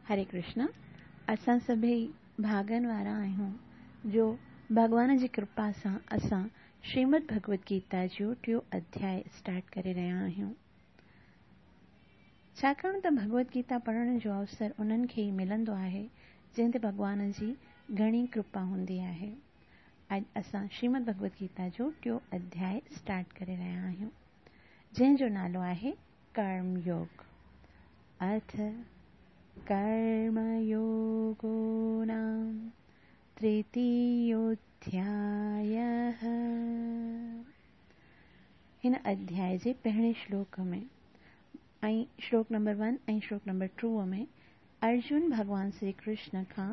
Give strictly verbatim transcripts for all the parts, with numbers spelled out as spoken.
हरे कृष्ण। असां सभई भागनि वारा आहियूं जो भॻवान जी कृपा सां असां श्रीमद् भगवद गीता जो टियों अध्याय स्टार्ट करे रहिया आहियूं। छाकाणि त भगवद गीता पढ़ण जो अवसर उन्हनि खे ई मिलंदो आहे जंहिं ते भॻवान जी घणी कृपा हूंदी आहे। अॼु असां श्रीमद् भगवद गीता जो टियों अध्याय स्टार्ट करे रहिया आहियूं जंहिंजो नालो आहे कर्म योग। अथ कर्मयोगो नाम तृतीयोऽध्यायः। हिन अध्याय जे पहिरें श्लोक में ऐं श्लोक नंबर वन ऐं श्लोक नंबर टू में अर्जुन भॻवान श्री कृष्ण खां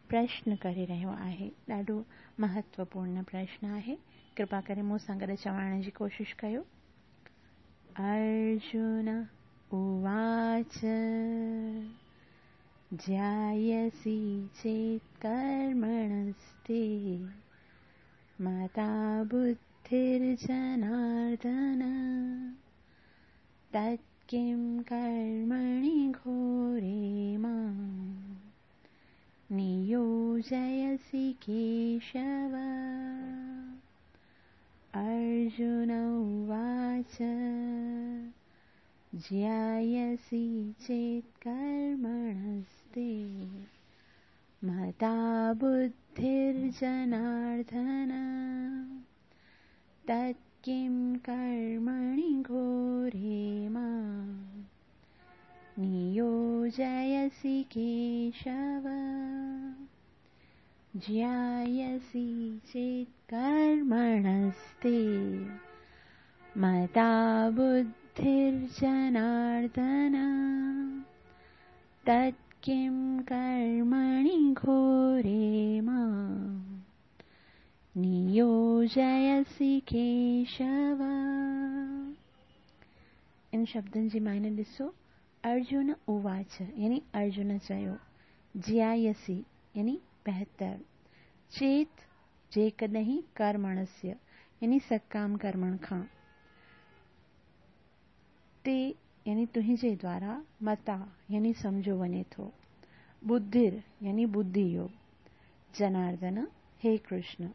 प्रश्न करे रहियो आहे। ॾाढो महत्वपूर्ण प्रश्न आहे, कृपा करे मूं सां गॾु चवण जी कोशिशि कयो। अर्जुन उवाच ज्यायसि चेत् कर्मणस्ते मता बुद्धिर्जनार्दन तत् किं कर्मणि घोरे मां नियोजयसि केशव। अर्जुन उवाच ज्यायसि चेत् कर्मणस्ते मता बुद्धिर्जनार्दन तत् किं कर्मणि घोरे मां नियोजयसि केशव। ज्यायसि चेत् कर्मणस्ते मता बुद्धिर्जनार्दन तत् किं कर्मणि घोरे मां नियोजयसि केशव। इन शब्दनि जी मायने ॾिसो। अर्जुन उवाच यानी अर्जुन चयो, ज्यायसि यानी बहितर, चेत जेकॾहिं, कर्मणस्य यानी सकाम कर्मण खां, ते यानी तुंहिंजे द्वारा, मता यानी सम्झो वञे थो, बुद्धिर यानी बुद्धि योग, जनार्दन हे कृष्ण,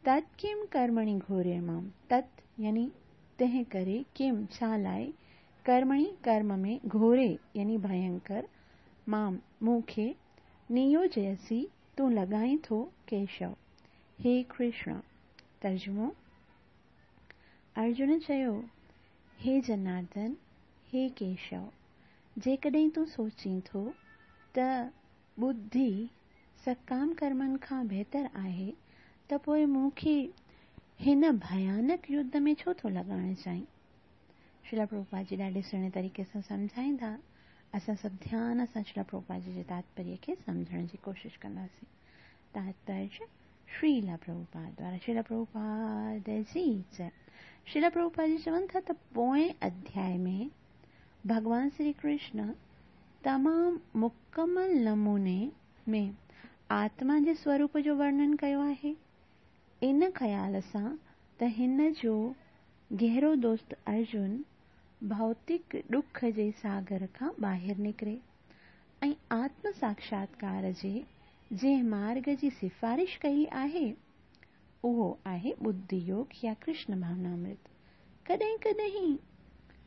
तत् किम कर्मणि घोरे मां, तत् यानी तंहिं करे, किम छा लाइ, कर्मणि कर्म में, घोरे यानी भयंकर, मां मूंखे, नियोजयसि तूं लॻाईं थो, केशव हे कृष्ण। तर्जुमो। अर्जुन चयो, हे जनार्दन हे केशव, जेकॾहिं तूं सोचीं थो त बुद्धि सकाम कर्मनि खां बहितर आहे त पोइ मूंखे हिन भयानक युद्ध में छो थो लॻाइण चाहीं? श्रील प्रभुपाद जी ॾाढे सुहिणे तरीक़े सां सम्झाईंदा। असां सभु ध्यान सां श्रील प्रभुपाद जी जे तात्पर्य खे सम्झण जी कोशिशि कंदासीं। तात्पर्य श्रील प्रभुपाद द्वारा। श्रील प्रभुपाद जी जय। श्रील प्रभुपाद जी चवनि था त पोएं अध्याय में भॻवान श्री कृष्ण तमामु मुकमल नमूने में आत्मा जे स्वरूप जो वर्णन कयो आहे। इन ख़्याल सां त हिन जो गहरो दोस्त अर्जुन भौतिक ॾुख जे सागर खां ॿाहिरि निकिरे ऐं आत्म साक्षात्कार जे जंहिं मार्ग जी सिफारिश कई आहे उहो आहे बुद्धि योग या कृष्ण भावनामृत। कॾहिं कॾहिं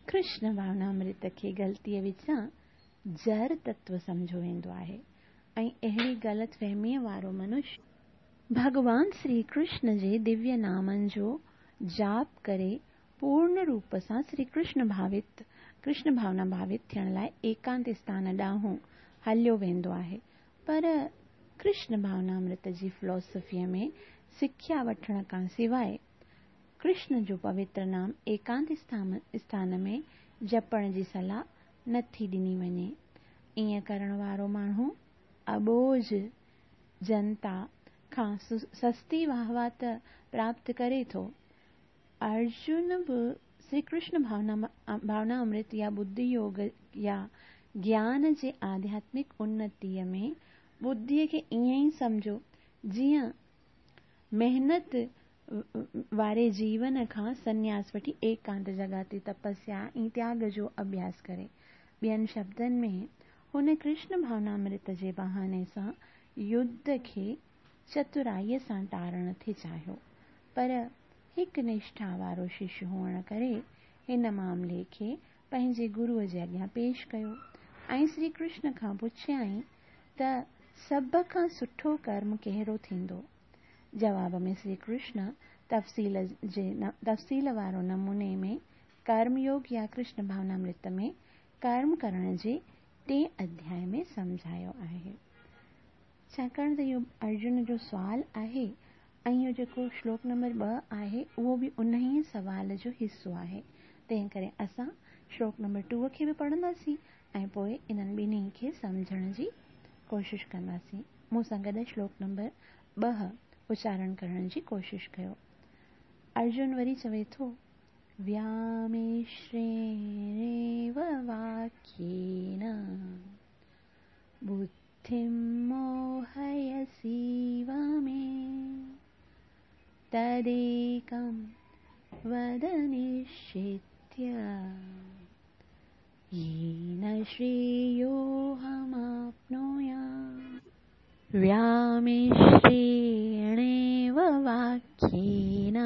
कृष्ण भावनामृत खे ग़लतीअ विचां जड़ तत्व सम्झो वेंदो आहे ऐं अहिड़ी ग़लत फ़हमीअ वारो मनुष्य भॻवान श्री कृष्ण जे दिव्य नामनि जो जाप करे पूर्ण रूप सां श्री कृष्ण भावित कृष्ण भावना भावित थियण लाइ एकांत स्थान ॾांहुं हलियो वेंदो आहे। पर कृष्ण भावनामृत जी फिलॉसफीअ में सिख्या वठण खां सवाइ कृष्ण जो पवित्र नाम एकांत स्थान में जपण जी सलाह नथी ॾिनी वञे। ईअं करण वारो माण्हू अबोझ जनता खां सस्ती वाहवा त प्राप्त करे थो। अर्जुन बि श्री कृष्ण भावना भावना अमृत या बुद्धि योग या ज्ञान जे आध्यात्मिक उन्नतीअ में बुद्धीअ खे ईअं ई सम्झो जीअं महिनत वारे जीवन खां संन्यास वठी एकांत जॻह ते तपस्या ऐं त्याग जो अभ्यास करे। ॿियनि शब्दनि में हुन कृष्ण भावनामृत जे बहाने सां युद्ध खे चतुराईअ सां टारणु थी चाहियो, पर हिकु निष्ठा वारो शिष्य हुअण करे हिन मामले खे पंहिंजे गुरूअ जे अॻियां पेश कयो ऐं श्री कृष्ण खां पुछियाईं त सभ खां सुठो कर्म कहिड़ो थींदो। जवाब में श्री कृष्ण तफ़सील जे तफ़सील वारो नमूने में कर्मयोग या कृष्ण भावनामृत में कर्म करण जे टे अध्याय में सम्झायो आहे। छाकाणि त इहो अर्जुन जो सुवाल आहे ऐं इहो जेको श्लोक नंबर ॿ आहे उहो बि उन ई सवाल जो हिसो आहे, तंहिं करे असां श्लोक नंबर टू खे बि पढ़ंदासीं ऐं पोइ इन्हनि ॿिन्ही खे सम्झण जी कोशिशि कंदासीं। मूं सां गॾु श्लोक नंबर ॿ उचारण करण जी कोशिशि कयो। अर्जुन वरी चवे थो, व्यामिश्रेणेव वाक्येन बुद्धिं मोहयसीव मे तदेकं वद निश्चित्य येन श्रेयोऽहमाप्नुयाम्। व्यामिश्रेणेव वाक्येन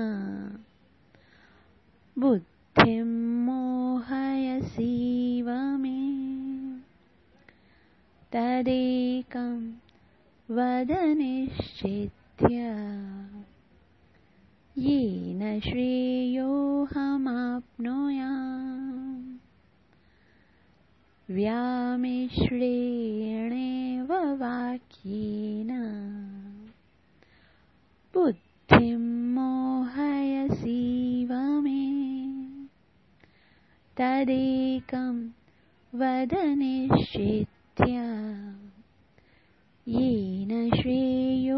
बुद्धिं मोहयसीव मे तदेकं वद निश्चित्य येन श्रेयोऽहमाप्नुयाम्। व्यामिश्रेणेव वाक्येन बुद्धिं मोहयसीव मे तदेकं वद निश्चित्य येन श्रेयोऽहमाप्नुयाम्।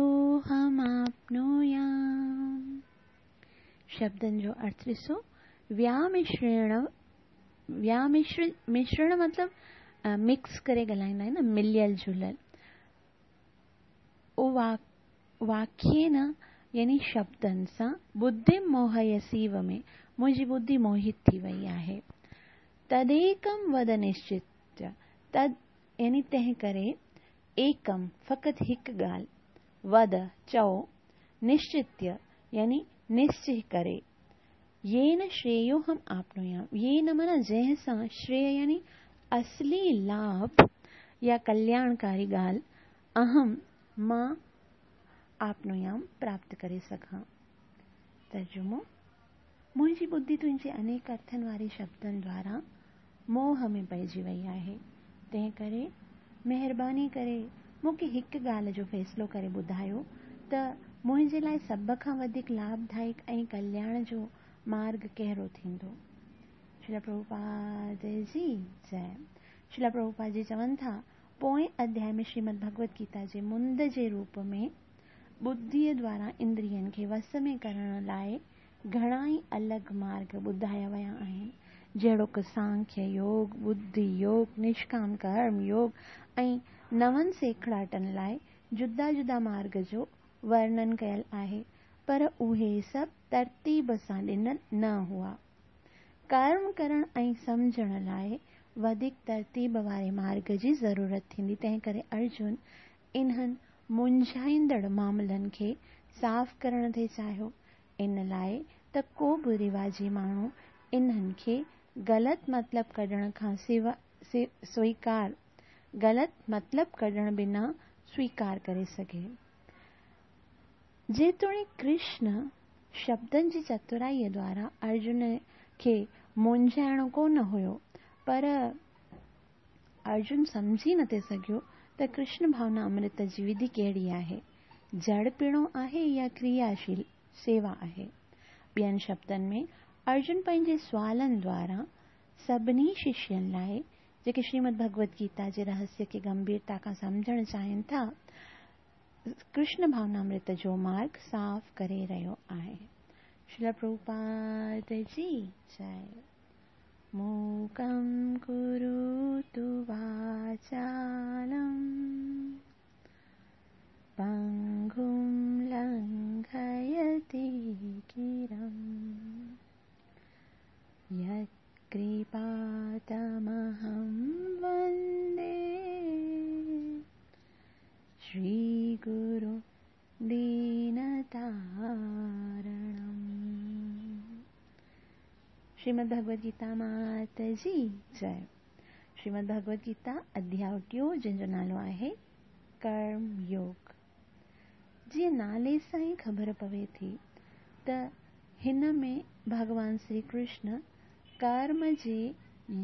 शब्दनि जो अर्थ ॾिसो, व्यामिश्रेण, व्यामिश्र मिश्रण मतिलबु मिक्स करे ॻाल्हाईंदा आहिनि न, मिलियल जुलियल। ओ वाक वाक्येन यानी शब्दनि सां बुद्धि मोहयसीव में मुंहिंजी बुद्धि मोहित थी वई आहे। तदेकं वद निश्चित, तद यानी तंहिं करे, एकम फ़क़ति हिकु ॻाल्हि, वद चओ, निश्चित्य यानी निश्चय करे, येन श्रेयोऽहम् आप्नुयाम्। येन माना जंहिं सां, श्रेय यानी असली लाभ या कल्याणकारी ॻाल्हि, अहम मां, आप्नुयाम प्राप्त करे सघां। तर्जुमो, मुंहिंजी बुद्धि तुंहिंजे अनेक अर्थनि वारे शब्दनि द्वारा मोह में पइजी वई आहे, तंहिं करे महिरबानी करे मूंखे हिकु ॻाल्हि जो फ़ैसिलो करे ॿुधायो त मुंहिंजे लाइ सभ खां वधीक लाभदायक ऐं कल्याण जो मार्ग कहिड़ो थींदो। श्रील प्रभुपाद जी जय। श्रील प्रभुपाद जी चवनि था, पोएं अध्याय में श्रीमद् भगवत गीता जे मुंद जे रूप में बुद्धिअ द्वारा इंद्रियनि खे वस में करण लाइ घणा ई अलॻि मार्ग ॿुधाया विया आहिनि, जहिड़ोक सांख्य योग, बुद्धि योग, निष्काम कर्म योग ऐं नवनि सेखड़ाटनि लाइ जुदा जुदा मार्ग जो वर्णन कयल आहे, पर उहे सभु तरतीब सां ॾिनल न हुआ। कर्म करण ऐं सम्झण लाइ वधीक तरतीब वारे मार्ग जी ज़रूरत थींदी, तंहिं करे अर्जुन इन्हनि मुंझाईंदड़ मामलनि खे साफ़ करण थी चाहियो, इन लाइ त को बि रिवाजी माण्हू इन्हनि खे ग़लति मतिलब कढण खां सिवा स्वीकार ग़लति मतिलब कढण बिना स्वीकार करे सघे। जेतोणीकि कृष्ण शब्दनि जी चतुराईअ द्वारा अर्जुन खे मुंझाइणो कोन हुयो, पर अर्जुन सम्झी नथी सघियो त कृष्ण भावना अमृत जी विधि कहिड़ी आहे, जड़ पीणो आहे या क्रियाशील सेवा आहे। ॿियनि शब्दनि में अर्जुन पंहिंजे सुवालनि द्वारा सभिनी शिष्यनि लाइ जेके श्रीमद् भगवत गीता जे रहस्य खे गंभीरता खां सम्झणु चाहिनि था, कृष्ण भावनामृत जो मार्ग साफ़ करे रहियो आहे। श्रील प्रभुपाद जी जय। मूकं करोतु वाचालं पङ्गुं लङ्घयते गिरिं यत्कृपातमहं वन्दे श्री गुरु दीनतारणम। श्रीमद् भगवद गीता मात जी जय। श्रीमद् भगवद गीता अध्याय टियों जंहिंजो नालो आहे कर्म योग। जीअं नाले सां ई ख़बर पवे थी त हिन में भॻवान श्री कृष्ण कर्म जे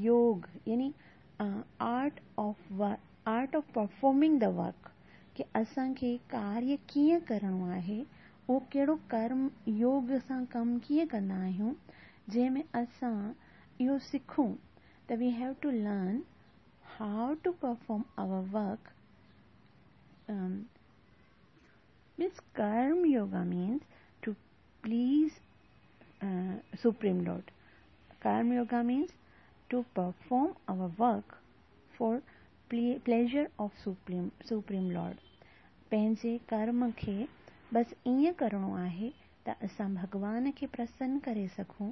योग यानी art of art of performing the work की असांखे कार्य कीअं करिणो आहे, उहो कहिड़ो कर्म योग सां कमु कीअं कंदा आहियूं, जंहिंमें असां इहो सिखूं त we have to learn how to perform our work. Means karma yoga means to please supreme lord. Karma yoga means to perform our work for pleasure of supreme supreme lord. पंहिंजे कर्म खे बसि ईअं करिणो आहे त असां भॻवान खे प्रसन्न करे सघूं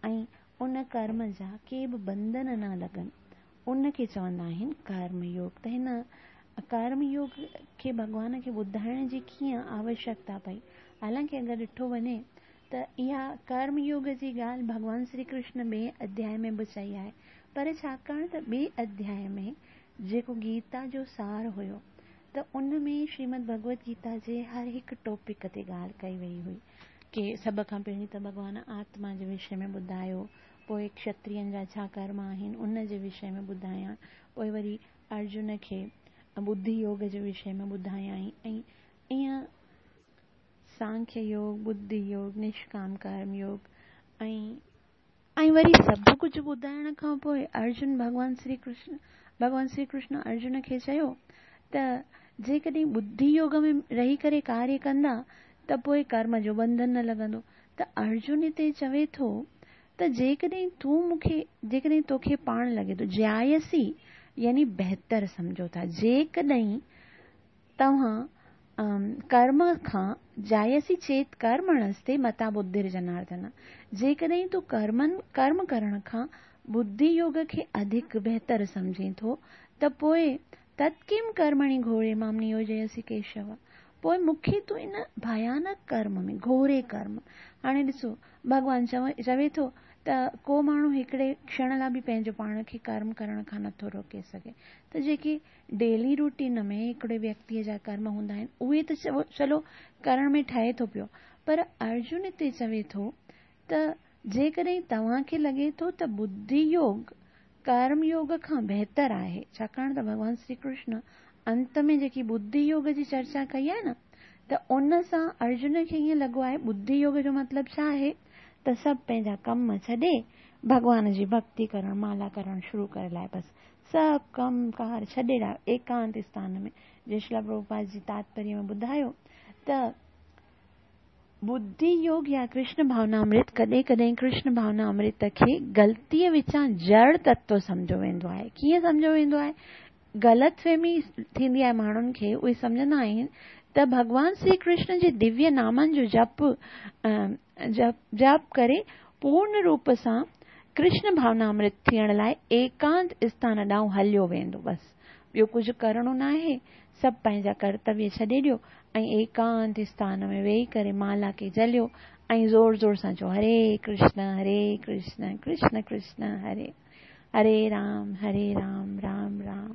ऐं उन कर्म जा के बि बंधन न लॻनि, उनखे चवंदा आहिनि कर्म योग। त हिन कर्म योग खे भॻवान खे ॿुधाइण जी कीअं आवश्यकता पई? हालांकि अगरि ॾिठो वञे त इहा कर्म योग जी ॻाल्हि भॻवान श्री कृष्ण ॿिए अध्याय में बि चई आहे, पर छाकाणि त ॿिए अध्याय में जेको गीता जो सार हुयो त उन में श्रीमद् भगवद गीता जे हर हिकु टॉपिक ते ॻाल्हि कई वई हुई की सभ खां पहिरीं त भॻवान आत्मा जे विषय में ॿुधायो, पोइ क्षत्रियनि जा छा कर्म आहिनि उन जे विषय में ॿुधायां, पोइ वरी अर्जुन खे बुद्धि योग जे विषय में ॿुधायाई ऐं ईअं सांख्य योग, बुद्धि योग, निष्काम कर्म योग ऐं ऐं वरी सभु कुझु ॿुधाइण खां पोइ अर्जुन भॻवान श्री कृष्ण भॻवान श्री कृष्ण अर्जुन खे चयो त जेकॾहिं बुद्धि योग में रही करे कार्य कंदा त पोइ कर्म जो बंधन न लॻंदो। त अर्जुन हिते चवे थो त जेकॾहिं तूं मूंखे जेकॾहिं तोखे पाण लॻे थो, ज्यायसी यानी बहितर सम्झो था, जेकॾहिं तव्हां कर्म खां जायसी चेत कर्मणस्ते मता बुद्धिर जनार्दन, जेकॾहिं तूं कर्मनि कर्म करण खां बुद्धि योग खे अधिक बहितर सम्झे थो त पोइ तत्किम कर्मणि घोरे मां नियोजयसि केशव, पोइ मूंखे तूं इन भयानक कर्म में घोरे कर्म। हाणे ॾिसो भॻवान चवे चवे थो त को माण्हू हिकिड़े क्षण लाइ बि पंहिंजो पाण खे कर्म करण खां नथो रोके सघे। त जेके डेली रूटीन में हिकिड़े व्यक्तीअ जा कर्म हूंदा आहिनि उहे त चलो करण में ठहे थो पियो, पर अर्जुन हिते चवे थो त जेकॾहिं तव्हांखे लॻे थो त बुद्धि योग कर्म योग खां बहितर आहे, छाकाणि त भॻवान श्री कृष्ण अंत में जेकी बुद्धि योग जी चर्चा कई आहे न त उन सां अर्जुन खे ईअं लॻो आहे बुद्धि योग जो मतिलबु छा आहे त सभु पंहिंजा कम छॾे भॻवान जी भक्ति करणु, माला करणु शुरू करे लाए, बसि सभु कम कार छॾे लाए एकांत स्थान में। जय श्रील प्रभुपाद जी तात्पर्य में ॿुधायो त बुद्धि योग या कृष्ण भावनामृत कॾहिं कॾहिं कृष्ण भावनामृत खे ग़लतीअ विचां जड़ तत्व सम्झो वेंदो आहे। कीअं सम्झो वेंदो आहे? ग़लतफ़हमी थींदी आहे माण्हुनि खे, उहे सम्झंदा आहिनि त भॻवान श्री कृष्ण जे दिव्य नामनि जो जप जप जप करे पूर्ण रूप सां कृष्ण भावनामृत थियण लाइ एकांत स्थान ॾांहुं हलियो वेंदो, बसि ॿियो कुझु करिणो न आहे, सभु पंहिंजा कर्तव्य छॾे ॾियो ऐं एकांत स्थान में वेही करे माला खे जलियो ऐं ज़ोर ज़ोर सां चओ हरे कृष्ण हरे कृष्ण कृष्ण कृष्ण हरे हरे राम हरे राम राम राम।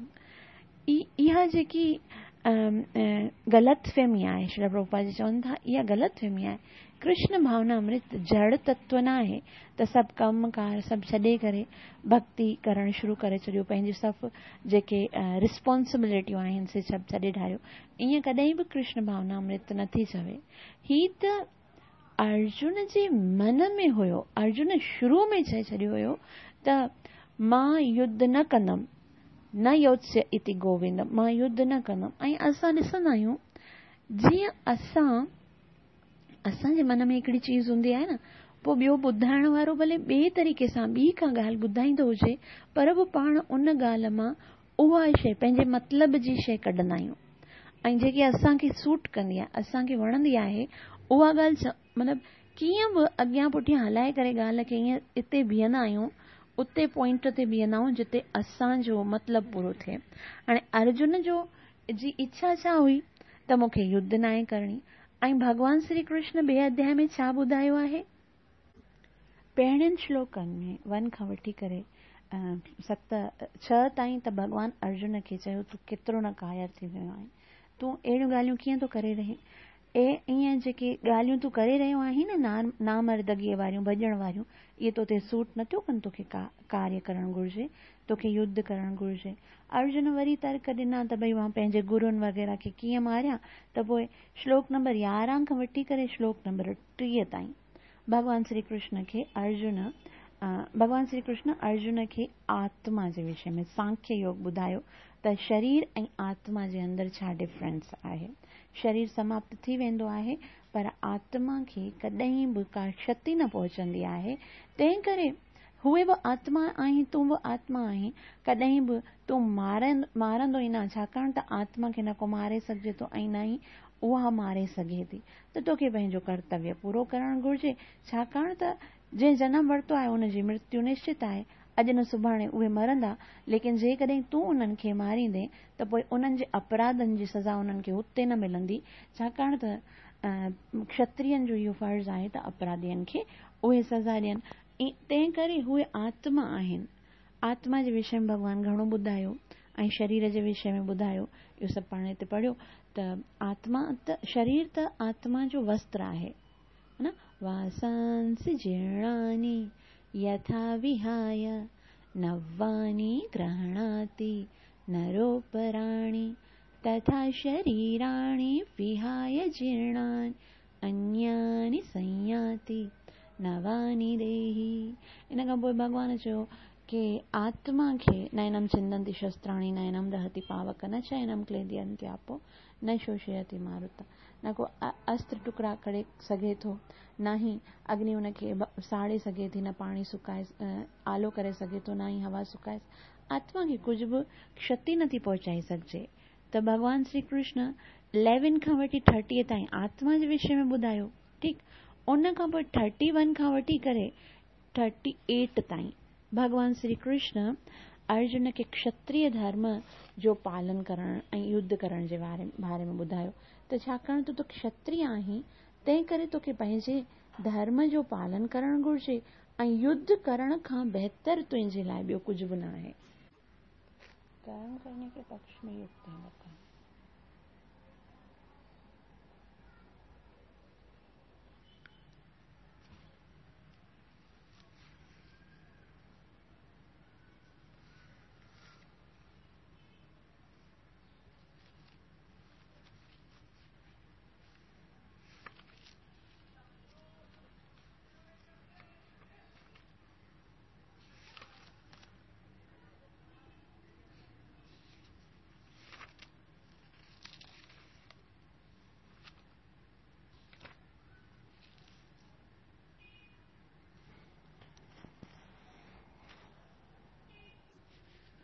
इहा जेकी ग़लतफ़हमी आहे, श्रील प्रभुपाद जी चवनि था इहा ग़लतफ़हमी आहे। कृष्ण भावनामृत जड़ तत्व न आहे त सभु कम कार सभु छॾे करे भक्ति करणु शुरू करे छॾियो, पंहिंजी सभु जेके रिस्पॉन्सिबिलिटियूं आहिनि से सभु छॾे ढारियो, ईअं कॾहिं बि कृष्ण भावनामृत नथी चवे। ही त अर्जुन जे मन में हुयो, अर्जुन शुरू में चए छॾियो हुयो त मां युद्ध न कंदमि, न योत्स्य इति गोविंद, मां युद्ध न कंदमि। ऐं असां ॾिसंदा आहियूं जीअं असां असांजे मन में हिकिड़ी चीज़ हूंदी आहे न, पोइ ॿियो ॿुधाइण वारो भले ॿिए तरीक़े सां ॿी का ॻाल्हि ॿुधाईंदो हुजे, पर बि पाण उन ॻाल्हि मां उहा शइ पंहिंजे मतिलब जी शइ कढंदा आहियूं ऐं जेकी असांखे सूट कंदी आहे, असांखे वणंदी आहे, उहा ॻाल्हि मतिलबु कीअं बि अॻियां पुठियां हलाए करे ॻाल्हि खे ईअं हिते बीहंदा आहियूं, उते पॉइंट ते बीहंदा आहियूं जिते असांजो मतिलबु पूरो थिए। हाणे अर्जुन जो جي اڇا ڇا هئي ته مون کي يڌ ناهي ڪرڻي. ۽ ڀڳوان شري ڪرشن ٻئي اڌياء ۾ ڇا ٻڌايو آهي؟ پهرين شلوڪن ۾ ون کان وٺي ڪري ست ڇهه تائين ته ڀڳوان ارجن کي چيو تون ڪيترو نه ڪاير ٿي ويو آهين، تون اهڙيون ڳالهيون ڪيئن ٿو ڪري رهين، ۽ ائين جيڪي ڳالهيون تون ڪري رهيو آهين نه نامردگيء واريون ڀڄڻ واريون، اهي تو تي سوٽ نٿيون ڪن، توکي ڪاريه ڪرڻ گهرجي، توکي يڌ ڪرڻ گهرجي. ارجن وري ترڪ ڏنا ته ڀئي مان پنهنجي گرن وغيره کي ڪيئن ماريان. ته پوءِ شلوڪ نمبر يارهن کان وٺي ڪري شلوڪ نمبر ٽيهه تائين ڀڳوان شري ڪرشن کي ارجن ڀڳوان شري ڪرشن ارجن کي آتما جي وشي ۾ سانکيه يوگ ٻڌايو ته شرير ۽ آتما جي اندر ڇا ڊفرنس آهي. شرير سماپت ٿي ويندو آهي پر آتما کي ڪڏهن به ڪا ڪشتي نه پهچندي آهي، تنهن ڪري اهي به آتما آهين، تون به آتما آهين، ڪڏهن به تون مارن مارندو ئي نه، ڇاڪاڻ ته آتما کي نه ڪو ماري سگهجي ٿو ۽ نه ئي اها ماري سگهي ٿي. ته توکي پنهنجو ڪرتويه پورو ڪرڻ گهرجي، ڇاڪاڻ ته جنهن جنم ورتو آهي ان جي مرتيو نشچت آهي، اڄ نه سڀاڻي اهي مرندا، ليڪن جيڪڏهن تون انهن کي ماريندين ته پوءِ انهن جي اپراڌن جي سزا انهن کي هتي نه ملندي، ڇاڪاڻ ته ڪشترين جو اهو فرض آهي ته اپراڌين کي اهي سزا ڏين. تنهن ڪري اهي آتما آهن. آتما جي وشي ۾ ڀڳوان گهڻو ٻڌايو ۽ شرير جي وشي ۾ ٻڌايو، اهو سڀ پاڻ هتي پڙهيو ته آتما ته شرير ته آتما جو وستر آهي نه. واسانسي جيرڻاني يٿا وهاي نواني گرهڻاتي نروپراڻي تٿا شريراڻي وهاي جيرڻاني انياني سنياتي نواني ديهي. ان کان پوءِ ڀڳوان چيو ڪه آتما کي نينم ڇندنتي شستراڻي نينم دهتي پاوڪ نه چينم ڪليدينتي آپو نه شوشيتي ماروت. نه ڪو استر ٽڪڙا ڪري سگهي ٿو، نه ئي اگني ان کي ساڙي سگهي ٿي، نه پاڻي سڪائي آلو ڪري سگهي ٿو، نه ئي هوا سڪائي. آتما کي ڪجهه به ڪشتي نٿي پهچائي سگهجي. ته ڀڳوان شري ڪرشن اليون کان وٺي ٿرٽيءَ تائين آتما جي وشي ۾ ٻڌايو، ٺيڪ. ان کان پوءِ ٿرٽي ون کان وٺي ڪري ٿرٽي ايٽ تائين ڀڳوان شري ڪرشن ارجن کي ڪشتريه ڌرم جو پالن ڪرڻ ۽ يڌ ڪرڻ جي باري باري ۾ ٻڌايو ته ڇاڪاڻ ته تون ڪشتريه آهين تنهن ڪري توکي پنهنجي ڌرم جو پالن ڪرڻ گهرجي ۽ يڌ ڪرڻ کان بهتر تنهنجي لاءِ ٻيو ڪجهه به نه آهي. ڪرم ڪرني ڪي پڪش ۾ يڪت بتائين.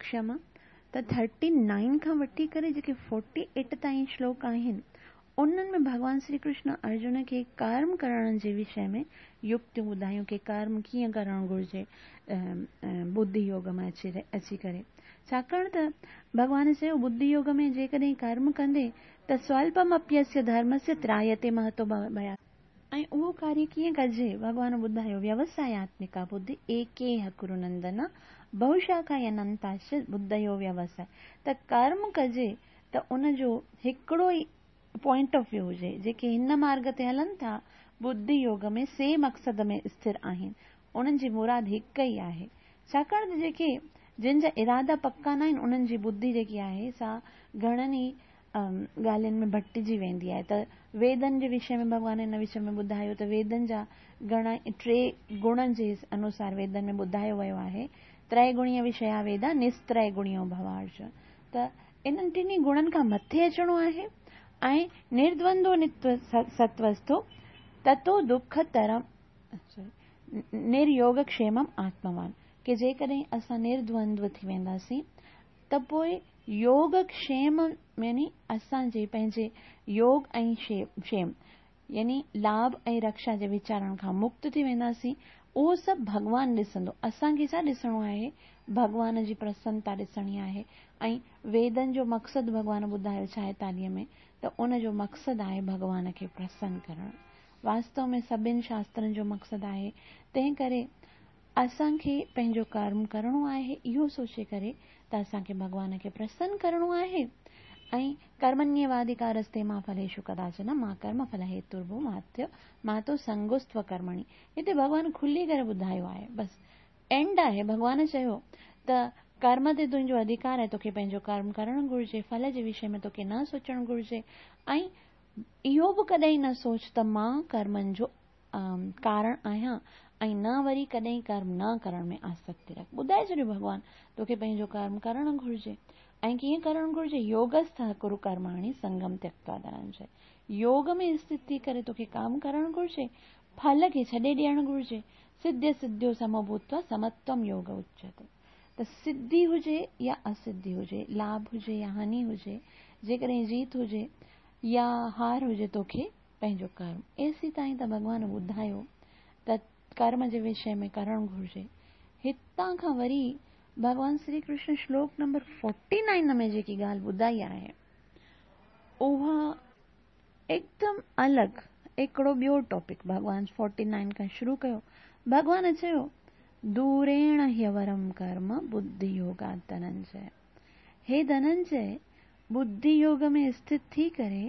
क्षमा त थर्टी नाइन खां वठी करे जेके फोर्टी एट ताईं श्लोक आहिनि उन्हनि में भॻवान श्री कृष्ण अर्जुन खे कर्म करण जे विषय में युक्तियूं ॿुधायूं की कर्म कीअं करणु घुरिजे बुद्धि योग मां अची अची करे। छाकाणि त भॻवान चयो बुद्धि योग में जेकॾहिं कर्म कंदे त स्वल्पमप्यस्य धर्मस्य त्रायते महतो भयात्। ऐं उहो कार्य कीअं कजे भॻवान ॿुधायो व्यवसायात्मिका बुद्धि एकेह कुरु नंदन बहुशाखा अनंताश्च बुद्धयो व्यवसाय। त कर्म कजे त उनजो हिकिड़ो ई पॉइंट ऑफ व्यू हुजे। जेके हिन मार्ग ते हलनि था बुद्धि योग में से मक़सद में स्थिर आहिनि, उन्हनि जी मुराद हिकु ई आहे। छाकाणि त जेके जिन जा इरादा पक्का न आहिनि उन्हनि जी बुद्धि जेकी आहे सा घणनि ई ॻाल्हियुनि में भटिजी वेंदी आहे। त वेदनि जे विषय में भॻवान हिन विषय में ॿुधायो त वेदनि जा घणा टे गुणनि जे अनुसार वेदनि में ॿुधायो वियो आहे। त्रैगुणीय विषया वेदा निस्त्रैगुणियो भवार्ज। त इन्हनि टिन्ही गुणनि खां मथे अचिणो आहे ऐं निर्द्वंदो नित्व सत्वस्थो ततो दुख तरम निर्योग क्षेमम आत्मवान। की जेकॾहिं असां निर्द्वंद्व थी वेंदासीं त पोइ योग क्षेम यानी असांजे पंहिंजे योग ऐं क्षेम यानी लाभ ऐं रक्षा जे वीचारनि खां मुक्त थी वेंदासीं। اهو سڀ ڀڳوان ڏسندو. اسان کي ڇا ڏسڻو آهي؟ ڀڳوان جي پرسنتا ڏسڻي آهي. ۽ ويدن جو مقصد ڀڳوان ٻڌايو ڇائيتاليهه ۾ ته ان جو مقصد آهي ڀڳوان کي پرسن ڪرڻ. واستو ۾ سڀني شاسترن جو مقصد آهي. تنهن ڪري اسان کي پنهنجو ڪرم ڪرڻو آهي اهو سوچي ڪري ته اسان کي ڀڳوان کي پرسن ڪرڻو آهي. ۽ ڪرمڻيواڌڪارستي مان ڦليشو ڪداچن مان ڪرم ڦل هيترڀو ماٿ ماتو سنگوستو ڪرمڻي. هتي ڀڳوان کلي ڪري ٻڌايو آهي، بس اينڊ آهي. ڀڳوان چيو ته ڪرم تي تنهنجو اڌڪار آهي، توکي پنهنجو ڪرم ڪرڻ گهرجي، ڦل جي وشي ۾ توکي نه سوچڻ گهرجي ۽ اهو به ڪڏهن نه سوچ ته مان ڪرمن جو ڪارڻ آهيان ۽ نه وري ڪڏهن ڪرم نه ڪرڻ ۾ آسڪتي رک. ٻڌائي ڇڏيو ڀڳوان توکي پنهنجو ڪرم ڪرڻ گهرجي ۽ ڪيئن ڪرڻ گهرجي؟ يوگسٿ ڪرو ڪرماڻي سنگم تيڪتوا ڌننجي. يوگ ۾ اسٿت ٿي ڪري توکي ڪم ڪرڻ گهرجي، ڦل کي ڇڏي ڏيڻ گهرجي. سڌ سڌيو سمو ڀوتوا سمتوم يوگ اچيتي. ته سڌي هجي يا اسڌي هجي، لاڀ هجي يا هاني هجي، جيڪڏهن جيت هجي يا هار هجي، توکي پنهنجو ڪرم. ايسي تائين ته ڀڳوان ٻڌايو ته ڪرم جي وشي ۾ ڪرڻ گهرجي. هتان کان وري ڀڳوان شري ڪرشن شلوڪ نمبر فورٽي نائن ۾ جيڪي ڳالهه ٻڌائي آهي اها هڪدم الڳ هڪڙو ٻيو ٽاپڪ ڀڳوان فورٽي نائن کان شروع ڪيو. ڀڳوان چيو دوريڻ هيورم ڪرم ٻڌي يوگا ڌننجي. هي ڌننجي، ٻڌي يوگ ۾ اسٿت ٿي ڪري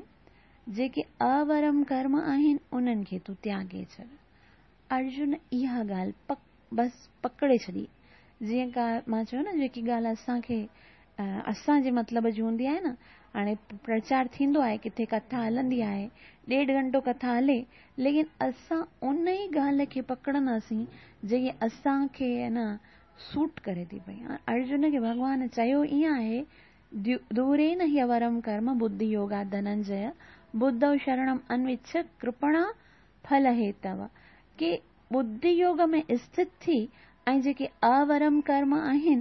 جيڪي اورم ڪرم آهن انهن کي تون تياڳي ڇڏ. ارجن اها ڳالهه پڪ بس پڪڙي ڇڏي. جيئن ڪا مان چيو نه جيڪي ڳالهه اسان کي اسان جي مطلب جي هوندي آهي نه، هاڻي پرچار ٿيندو آهي، ڪٿي ڪٿا هلندي آهي، ڏيڍ گهنٽو ڪٿا هلي، ليڪن اسان ان ئي ڳالهه کي پڪڙنداسين جيڪي اسان کي نه سوٽ ڪري ٿي پئي. ارجن کي ڀڳوان چيو ائين آهي، دورين هيورم ڪرم ٻڌي يوگا ڌننجي ٻڌو شرڻم انوڇ ڪرپڻا ڦل هيتو. ڪي ٻڌي يوگ ۾ اسٿت ٿي ۽ جيڪي اورم ڪرم آهن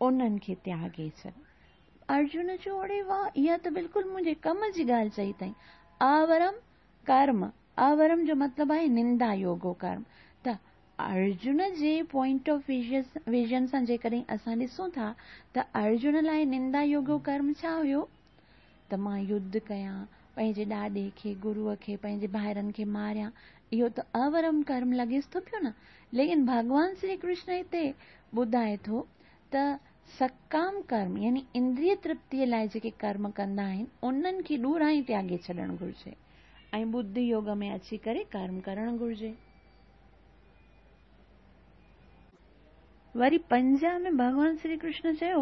انهن کي تياڳي ڇڏ. ارجن چيو اڙي واهه، اها ته بلڪل منهنجي ڪم جي ڳالهه چئي اٿئي. اورم ڪرم، اورم جو مطلب آهي نندا يوگو ڪرم. ته ارجن جي پوائنٽ آف ويزن سان جيڪڏهن اسان ڏسون ٿا ته ارجن لاءِ نندا يوگو ڪرم ڇا هيو؟ ته مان يڌ ڪيان، پنهنجي ڏاڏي کي، گروءَ کي، پنهنجي ڀائرن کي ماريان، اهو ته اورم ڪرم لڳيس ٿو پيو نه. ليڪن ڀڳوان شري ڪرشن هتي ٻڌائي ٿو ته سڪام ڪرم يعني اندريه ترپتيءَ لاءِ جيڪي ڪرم ڪندا آهن انهن کي ڏوران ئي تياڳي ڇڏڻ گهرجي ۽ ٻڌي يوگ ۾ اچي ڪري ڪرم ڪرڻ گهرجي. وري پنجاهه ۾ ڀڳوان شري ڪرشن چيو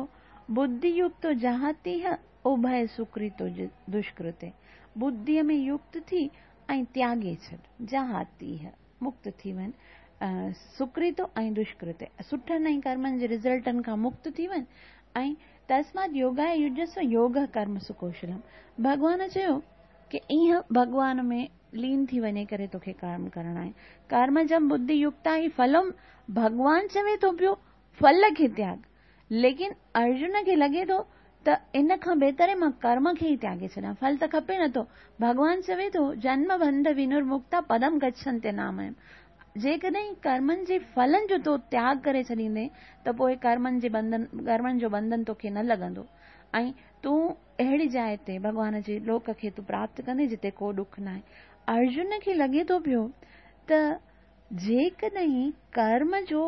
ٻڌي يڪت جهاتي اڀي سڪرتو دشڪرتي. ٻڌيءَ ۾ يڪت ٿي ۽ تياڳي ڇڏ، جهاتي مڪت ٿي وڃ، سڪرتو ۽ دشڪرتي سٺن ۽ ڪرمن جي رزلٽن کان مڪت ٿي وڃ. ۽ تسمات يوگاءِ يجسو يوگ ڪرم سڪوشلم. ڀڳوان چيو ڪه ائين ڀڳوان ۾ لين ٿي وڃي ڪري توکي ڪرم ڪرڻا آهن. ڪرمجم ٻڌي يڪتا ئي ڦلم. ڀڳوان چوي ٿو پيو ڦل کي تياڳ، ليڪن ارجن کي لڳي ٿو ته ان کان بهتر مان ڪرم کي ئي تياڳي ڇڏيان، ڦل ته کپي نٿو. ڀڳوان چوي ٿو جنم بنڌ ونرمڪتا پدم گڇنتي ناميم. جيڪڏهن ڪرمن جي ڦلن جو تو تياڳ ڪري ڇڏيندي ته پوءِ ڪرمن جي بنڌن، ڪرمن جو بنڌن توکي نه لڳندو ۽ تون اهڙي جاءِ تي ڀڳوان جي لوڪ کي تون پراپت ڪندي جتي ڪو ڏک نه آهي. ارجن کي لڳي ٿو پيو ته جيڪڏهن ڪرم جو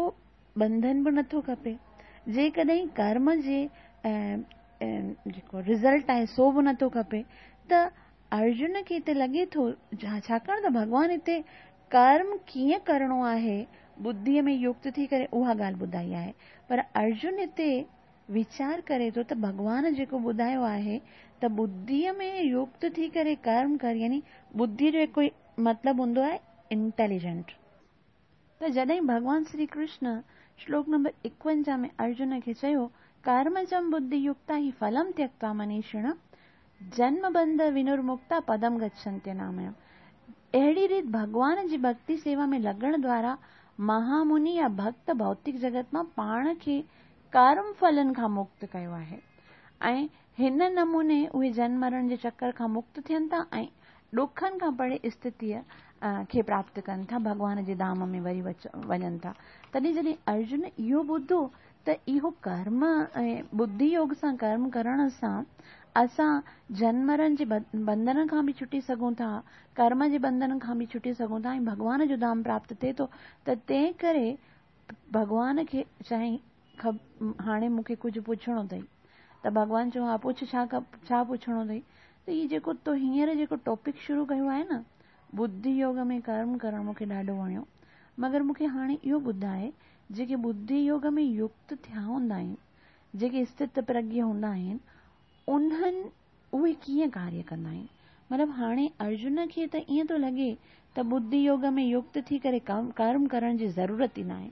بنڌن به نٿو کپي، جيڪڏهن ڪرم جي جيڪو رزلٽ آهي سو به نٿو کپي، ته ارجن کي هتي لڳي ٿو ڇاڪاڻ ته ڀڳوان هتي ڪرم ڪيئن ڪرڻو آهي ٻڌيءَ ۾ يڪت ٿي ڪري اها ڳالهه ٻڌائي آهي، پر ارجن هتي ويچار ڪري ٿو ته ڀڳوان جيڪو ٻڌايو آهي ته ٻڌيءَ ۾ يڪت ٿي ڪري ڪرم ڪر، يعني ٻڌيءَ جو هڪ مطلب هوندو آهي انٽيليجنٽ. ته جڏهن ڀڳوان شري ڪرشن شلوڪ نمبر ايڪونجاهه ۾ ارجن کي چيو ڪرمجم ٻڌي يڪتا ئي ڦلم تيڪتوا منيشڻ جنم بنڌ ونرمڪتا پدم گڇنتي ناميم. اهڙي ريت ڀڳوان جي ڀڪتي سيوا ۾ لڳڻ دوارا مهامني يا ڀڪت ڀوتڪ جڳت مان پاڻ کي ڪرم ڦلن کان مڪت ڪيو آهي ۽ هن نموني اهي جنم مرڻ جي چڪر کان مڪت ٿين ٿا ۽ ڏکن کان پري اسٿتيء کي پراپت ڪن ٿا، ڀڳوان جي ڌام ۾ وري وڃن ٿا. تڏهن جڏهن ارجن اهو ٻڌو ته اهو ڪرم ۽ ٻڌي يوگ سان ڪرم ڪرڻ سان اسان جنم مرڻ جي بنڌن کان به ڇٽي سگهون ٿا، ڪرم جي بنڌن کان به ڇٽي سگهون ٿا ۽ ڀڳوان جو ڌام پراپت ٿئي ٿو، ته تنهن ڪري ڀڳوان کي چيائين هاڻي مون کي ڪجهه پڇڻو اٿئي. ته ڀڳوان چيو ها پڇ، ڇا ڇا پڇڻو اٿئي؟ ته هي جيڪو تو هينئر جيڪو ٽاپڪ شروع ڪيو آهي نه ٻڌي يوگ ۾ ڪرم ڪرڻ، مون کي ڏاڍو وڻيو، مگر مون کي هاڻي اهو ٻڌائي جيڪي ٻڌي يوگ ۾ يڪت ٿيا هوندا آهن، جيڪي اسٿت پرگيه هوندا آهن، انهن اهي ڪيئن ڪاريه ڪندا آهن؟ مطلب هاڻي ارجن کي ته ائين ٿو لڳي ته ٻڌي يوگ ۾ يڪت ٿي ڪري ڪرم ڪرڻ جي ضرورت ئي ناهي،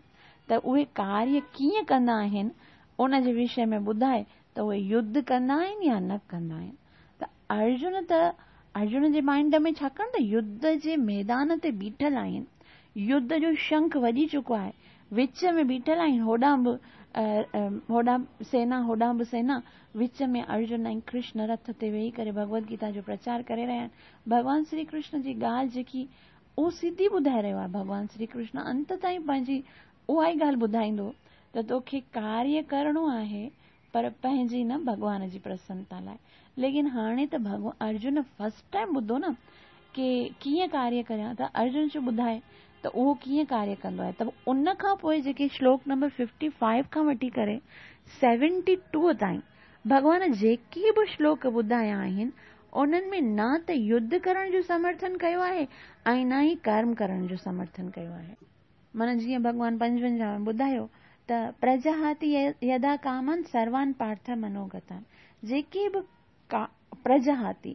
ته اهي ڪاريه ڪيئن ڪندا آهن ان جي وشي ۾ ٻڌائي ته اهي يڌ ڪندا آهن يا نه ڪندا آهن. ته ارجن ته ارجن جي مائنڊ ۾ ڇاڪاڻ ته يڌ جي ميدان تي بيٺل آهن، يڌ جو شنک وڄي چڪو آهي، وچ ۾ بيٺل آهن، هوڏانهن به هوڏانهن سينا هوڏانهن به سينا، وچ ۾ ارجن ۽ ڪرشن رٿ تي ويهي ڪري ڀڳوت گيتا جو پرچار ڪري رهيا آهن. ڀڳوان شري ڪرشن جي ڳالهه جيڪي اهو سڌي ٻڌائي رهيو آهي. ڀڳوان شري ڪرشن انت تائين پنهنجي اها ئي ڳالهه ٻڌائيندو ته توکي ڪاريه ڪرڻو آهي پر پنهنجي نه ڀڳوان جي پرسنتا لاءِ. ليڪن هاڻي ته ڀڳوان ارجن فرسٽ ٽائيم ٻڌو نه ڪي ڪيئن ڪاريه ڪريان، ته ارجن چيو ٻڌائي ته اهو ڪيئن ڪاريه ڪندو آهي. ته ان کان پوءِ جيڪي شلوڪ نمبر ففٽي فائيو کان وٺي ڪري سيونٽي ٽو تائين ڀڳوان جيڪي به شلوڪ ٻڌايا آهن انهن ۾ نه ته يڌ ڪرڻ جو سمرٿن ڪيو آهي ۽ نه ئي ڪرم ڪرڻ جو سمرٿن ڪيو آهي. معنيٰ جيئن ڀڳوان پنجونجاهه ۾ ٻڌايو ته پرجهاتي يدا ڪامان سروان پارٿ منوگتان، جيڪي به پرجهاتي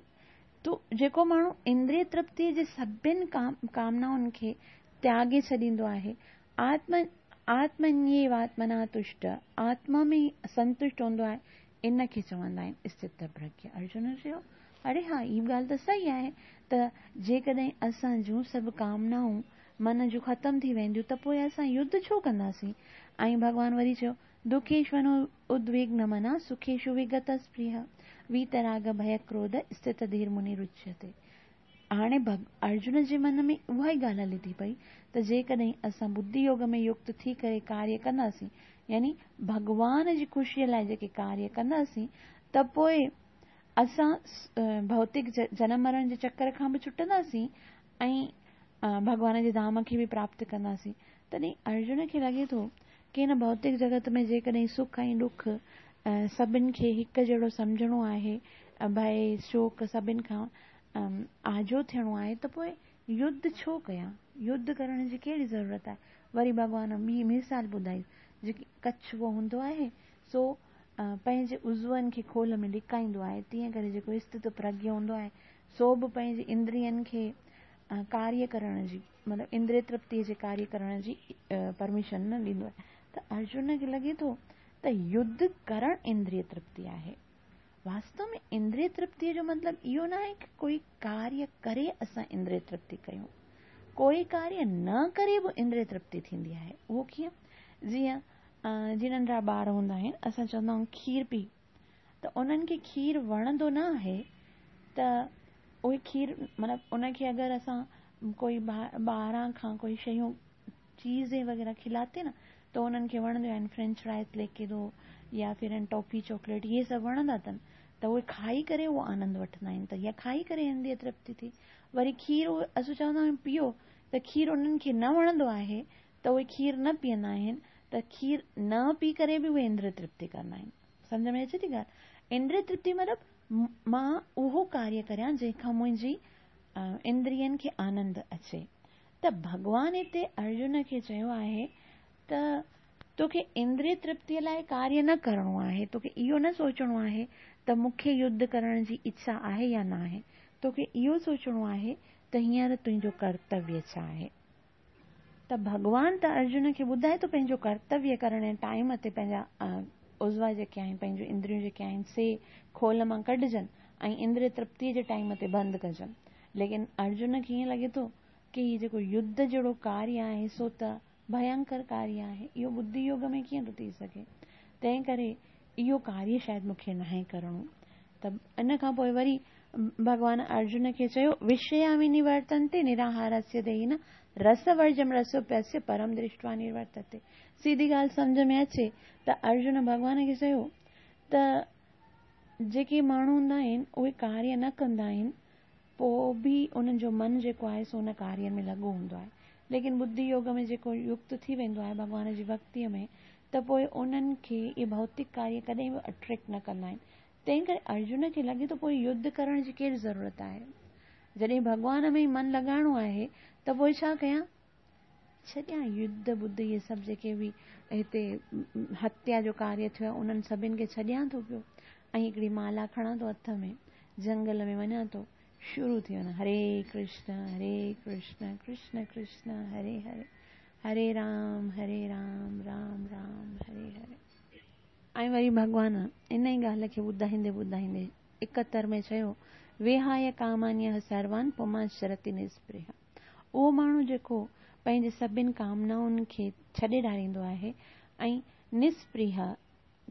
تو جيڪو ماڻهو اندريه ترپتيءَ جي سڀني ڪامنائن کي تياڳي ڇڏيندو آهي، آتم آتمنيواتمنا تشٽ، آتما ۾ سنتشٽ هوندو آهي، ان کي چوندا آهن اسٿت پرگيه. ارجن چيو اڙي ها هي ڳالهه ته صحيح آهي ته جيڪڏهن اسان جون سڀ ڪامنائون من جون ختم ٿي وينديون ته پوءِ اسان يڌ ڇو ڪنداسين؟ ۽ ڀڳوان وري چيو دکيشونو ادوگن منا سکيشو وگت سپرهه ويتراڳ ڀي ڪروڌ اسٿت ڌير مني رچيتي. هاڻي ارجن جي من ۾ اها ئي ڳالهه هلي ٿي پئي ته جيڪڏهن اسان ٻڌي يوگ ۾ يڪت ٿي ڪري ڪاريه ڪنداسين، يعني ڀڳوان جي خوشيءَ لاءِ جيڪي ڪاريه ڪنداسين، ته پوءِ اسان ڀوتڪ جنم مرڻ جي چڪر کان به ڇٽنداسين ۽ ڀڳوان جي ڌام کي به پراپت ڪنداسين. تڏهن ارجن کي لڳي ٿو ڪه هن ڀوتڪ جڳت ۾ جيڪڏهن سک ۽ ڏک سڀني کي هڪ جهڙو سمجهڻو آهي، ڀئي شوڪ سڀني کان آجو ٿيڻو آهي، ته پوءِ يڌ ڇو ڪيان؟ يڌ ڪرڻ جي ڪهڙي ضرورت آهي؟ وري ڀڳوان ٻي مثال ٻڌائي، جيڪي ڪڇوو هوندو آهي سو پنهنجي عضون کي کول ۾ لڪائيندو آهي، تيئن ڪري جيڪو اسٿت پرگيه هوندو آهي سو به پنهنجي اندرين کي ڪاريه ڪرڻ جي، مطلب اندريه ترپتيءَ جي ڪاريه ڪرڻ جي پرميشن نه ڏيندو آهي. ته ارجن کي لڳي ٿو ته يڌ ڪرڻ اندريه ترپتي آهي. واستو ۾ اندريه ترپتيءَ جو مطلب اهو نه آهي ڪه ڪوئي ڪاريه ڪري اسان اندريه ترپتي ڪيون، ڪوئي ڪاريه نه ڪري به اندريه ترپتي ٿيندي آهي. اهو ڪيئن؟ جيئن جيئن ننڍڙا ٻار هوندا آهن، اسان چوندا آهيون کير پي، ته انهن کي کير وڻندو نه آهي، ته اهي کير مطلب ان کي اگر اسان ڪوئي ٻاهران کان ڪوئي شيون چيزين وغيره کلاتي نه، ته انهن کي وڻنديون آهن، فرينچ فرائز ليڪي دو يا ڦر ٽافي چاڪليٽ اهي سڀ وڻندا اٿن، ته اهي کائي ڪري اهو آنند وٺندا آهن، ته اها کائي ڪري اندريه ترپتي ٿي. وري کير اسان چوندا آهيون پيئو، ته کير انهن کي نه وڻندو آهي ته اهي کير نه پيئندا آهن، ته کير نه پي ڪري به اهي اندريه ترپتي ڪندا آهن. سمجهه ۾ اچي ٿي ڳالهه؟ اندريه ترپتي مطلب مان اهو ڪاريه ڪريان جنهن کان منهنجي اندرين کي آنند اچي. ته ڀڳوان هتي ارجن کي چيو آهي ته توکي اندريه ترپتيءَ لاءِ ڪاريه نه ڪرڻو آهي، توکي اهو نه سوچڻو آهي ته مون کي يڌ ڪرڻ جي اڇا آهي يا نه آهي، توکي اهو سوچڻو آهي ته هينئر تنهنجو ڪرتويه ڇا آهي. ته ڀڳوان ته ارجن کي ٻڌائي ٿو پنهنجو ڪرتويه ڪرڻ جي ٽائيم تي پنهنجا عضوا جيڪي آهن، پنهنجون اندريون جيڪي آهن سي کول مان ڪڍجن ۽ اندريه ترپتيءَ جي ٽائيم تي بند ڪجن. ليڪن ارجن کي ائين لڳي ٿو ڪه هي جيڪو يڌ جهڙو ڪاريه آهي سو ته ڀينڪر ڪاريه آهي، اهو ٻڌي يوگ ۾ ڪيئن ٿو ٿي سگهي، تنهن ڪري اهو ڪاريه شايد مون کي ناهي ڪرڻو. ته ان کان پوءِ وري ڀڳوان ارجن کي چيو، وشيا ونورتنتي نراهارस्य ديهिनः رسवर्जं رसोऽप्यस्य परं दृष्ट्वा निवर्तते। सीधी ॻाल्हि सम्झ में अचे त अर्जुन भॻवान खे चयो त जेके माण्हू हूंदा आहिनि उहे कार्य न कंदा आहिनि, पोइ बि उन्हनि जो मन जेको आहे सो उन कार्य में लॻो हूंदो आहे। लेकिन बुद्धि योग में जेको युक्त थी वेंदो आहे भॻवान जी भक्तीअ में, त पोइ उन्हनि खे इहे भौतिक कार्य कॾहिं बि अट्रैक्ट न कंदा आहिनि। तंहिं करे अर्जुन खे लॻे थो पोइ युद्ध करण जी कहिड़ी ज़रूरत आहे? जॾहिं भॻवान में मन लॻाइणो आहे त पोइ छा कयां? छॾियां युद्ध बुद्ध इहे सभु जेके बि हिते हत्या जो कार्य थियो आहे उन्हनि सभिनि खे छॾियां थो पियो ऐं हिकिड़ी माला खणां थो हथ में, जंगल में वञा थो, शुरू थी वञा हरे कृष्ण हरे कृष्ण कृष्ण कृष्ण हरे हरे, हरे राम हरे राम राम राम हरे हरे। ऐं वरी भॻवान इन ई ॻाल्हि खे ॿुधाईंदे ॿुधाईंदे एकहतरि में चयो, विहाय कामान्यः सर्वान् पुमांश्चरति निस्पृहः। उहो माण्हू जेको पंहिंजे सभिनि कामनाउनि खे छॾे ॾारींदो आहे ऐं निस्पृह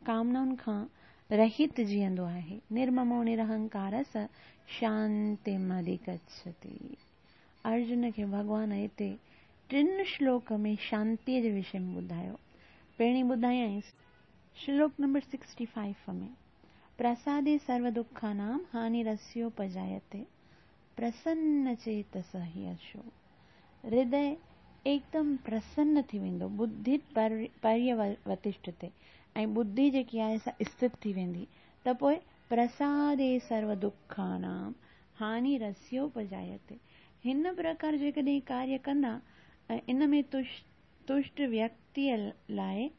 कामनाउनि खां रहित जीअंदो आहे, निर्ममो निरहंकार स शांतिम् अधिगच्छति। अर्जुन खे भॻवान हिते टिनि श्लोक में शांतीअ जे विषय में ॿुधायो। पहिरीं ॿुधायाईं श्लोक नंबर सिक्सटी फाइव में, प्रसादे सर्वदुःखानां हानिरस्योपजायते प्रसन्न चेतस हि अशो। हृदय एकदम प्रसन्न थी वेंदो, बुद्धि पर्यवतिष्ठते ऐं बुद्धि जेकी आहे सा स्थित थी वेंदी, त पोइ प्रसादे सर्वदुःखानां हानिरस्योपजायते। हिन प्रकार जेकॾहिं कार्य कंदा ऐं इन में तुष्ट व्यक्तीअ लाइ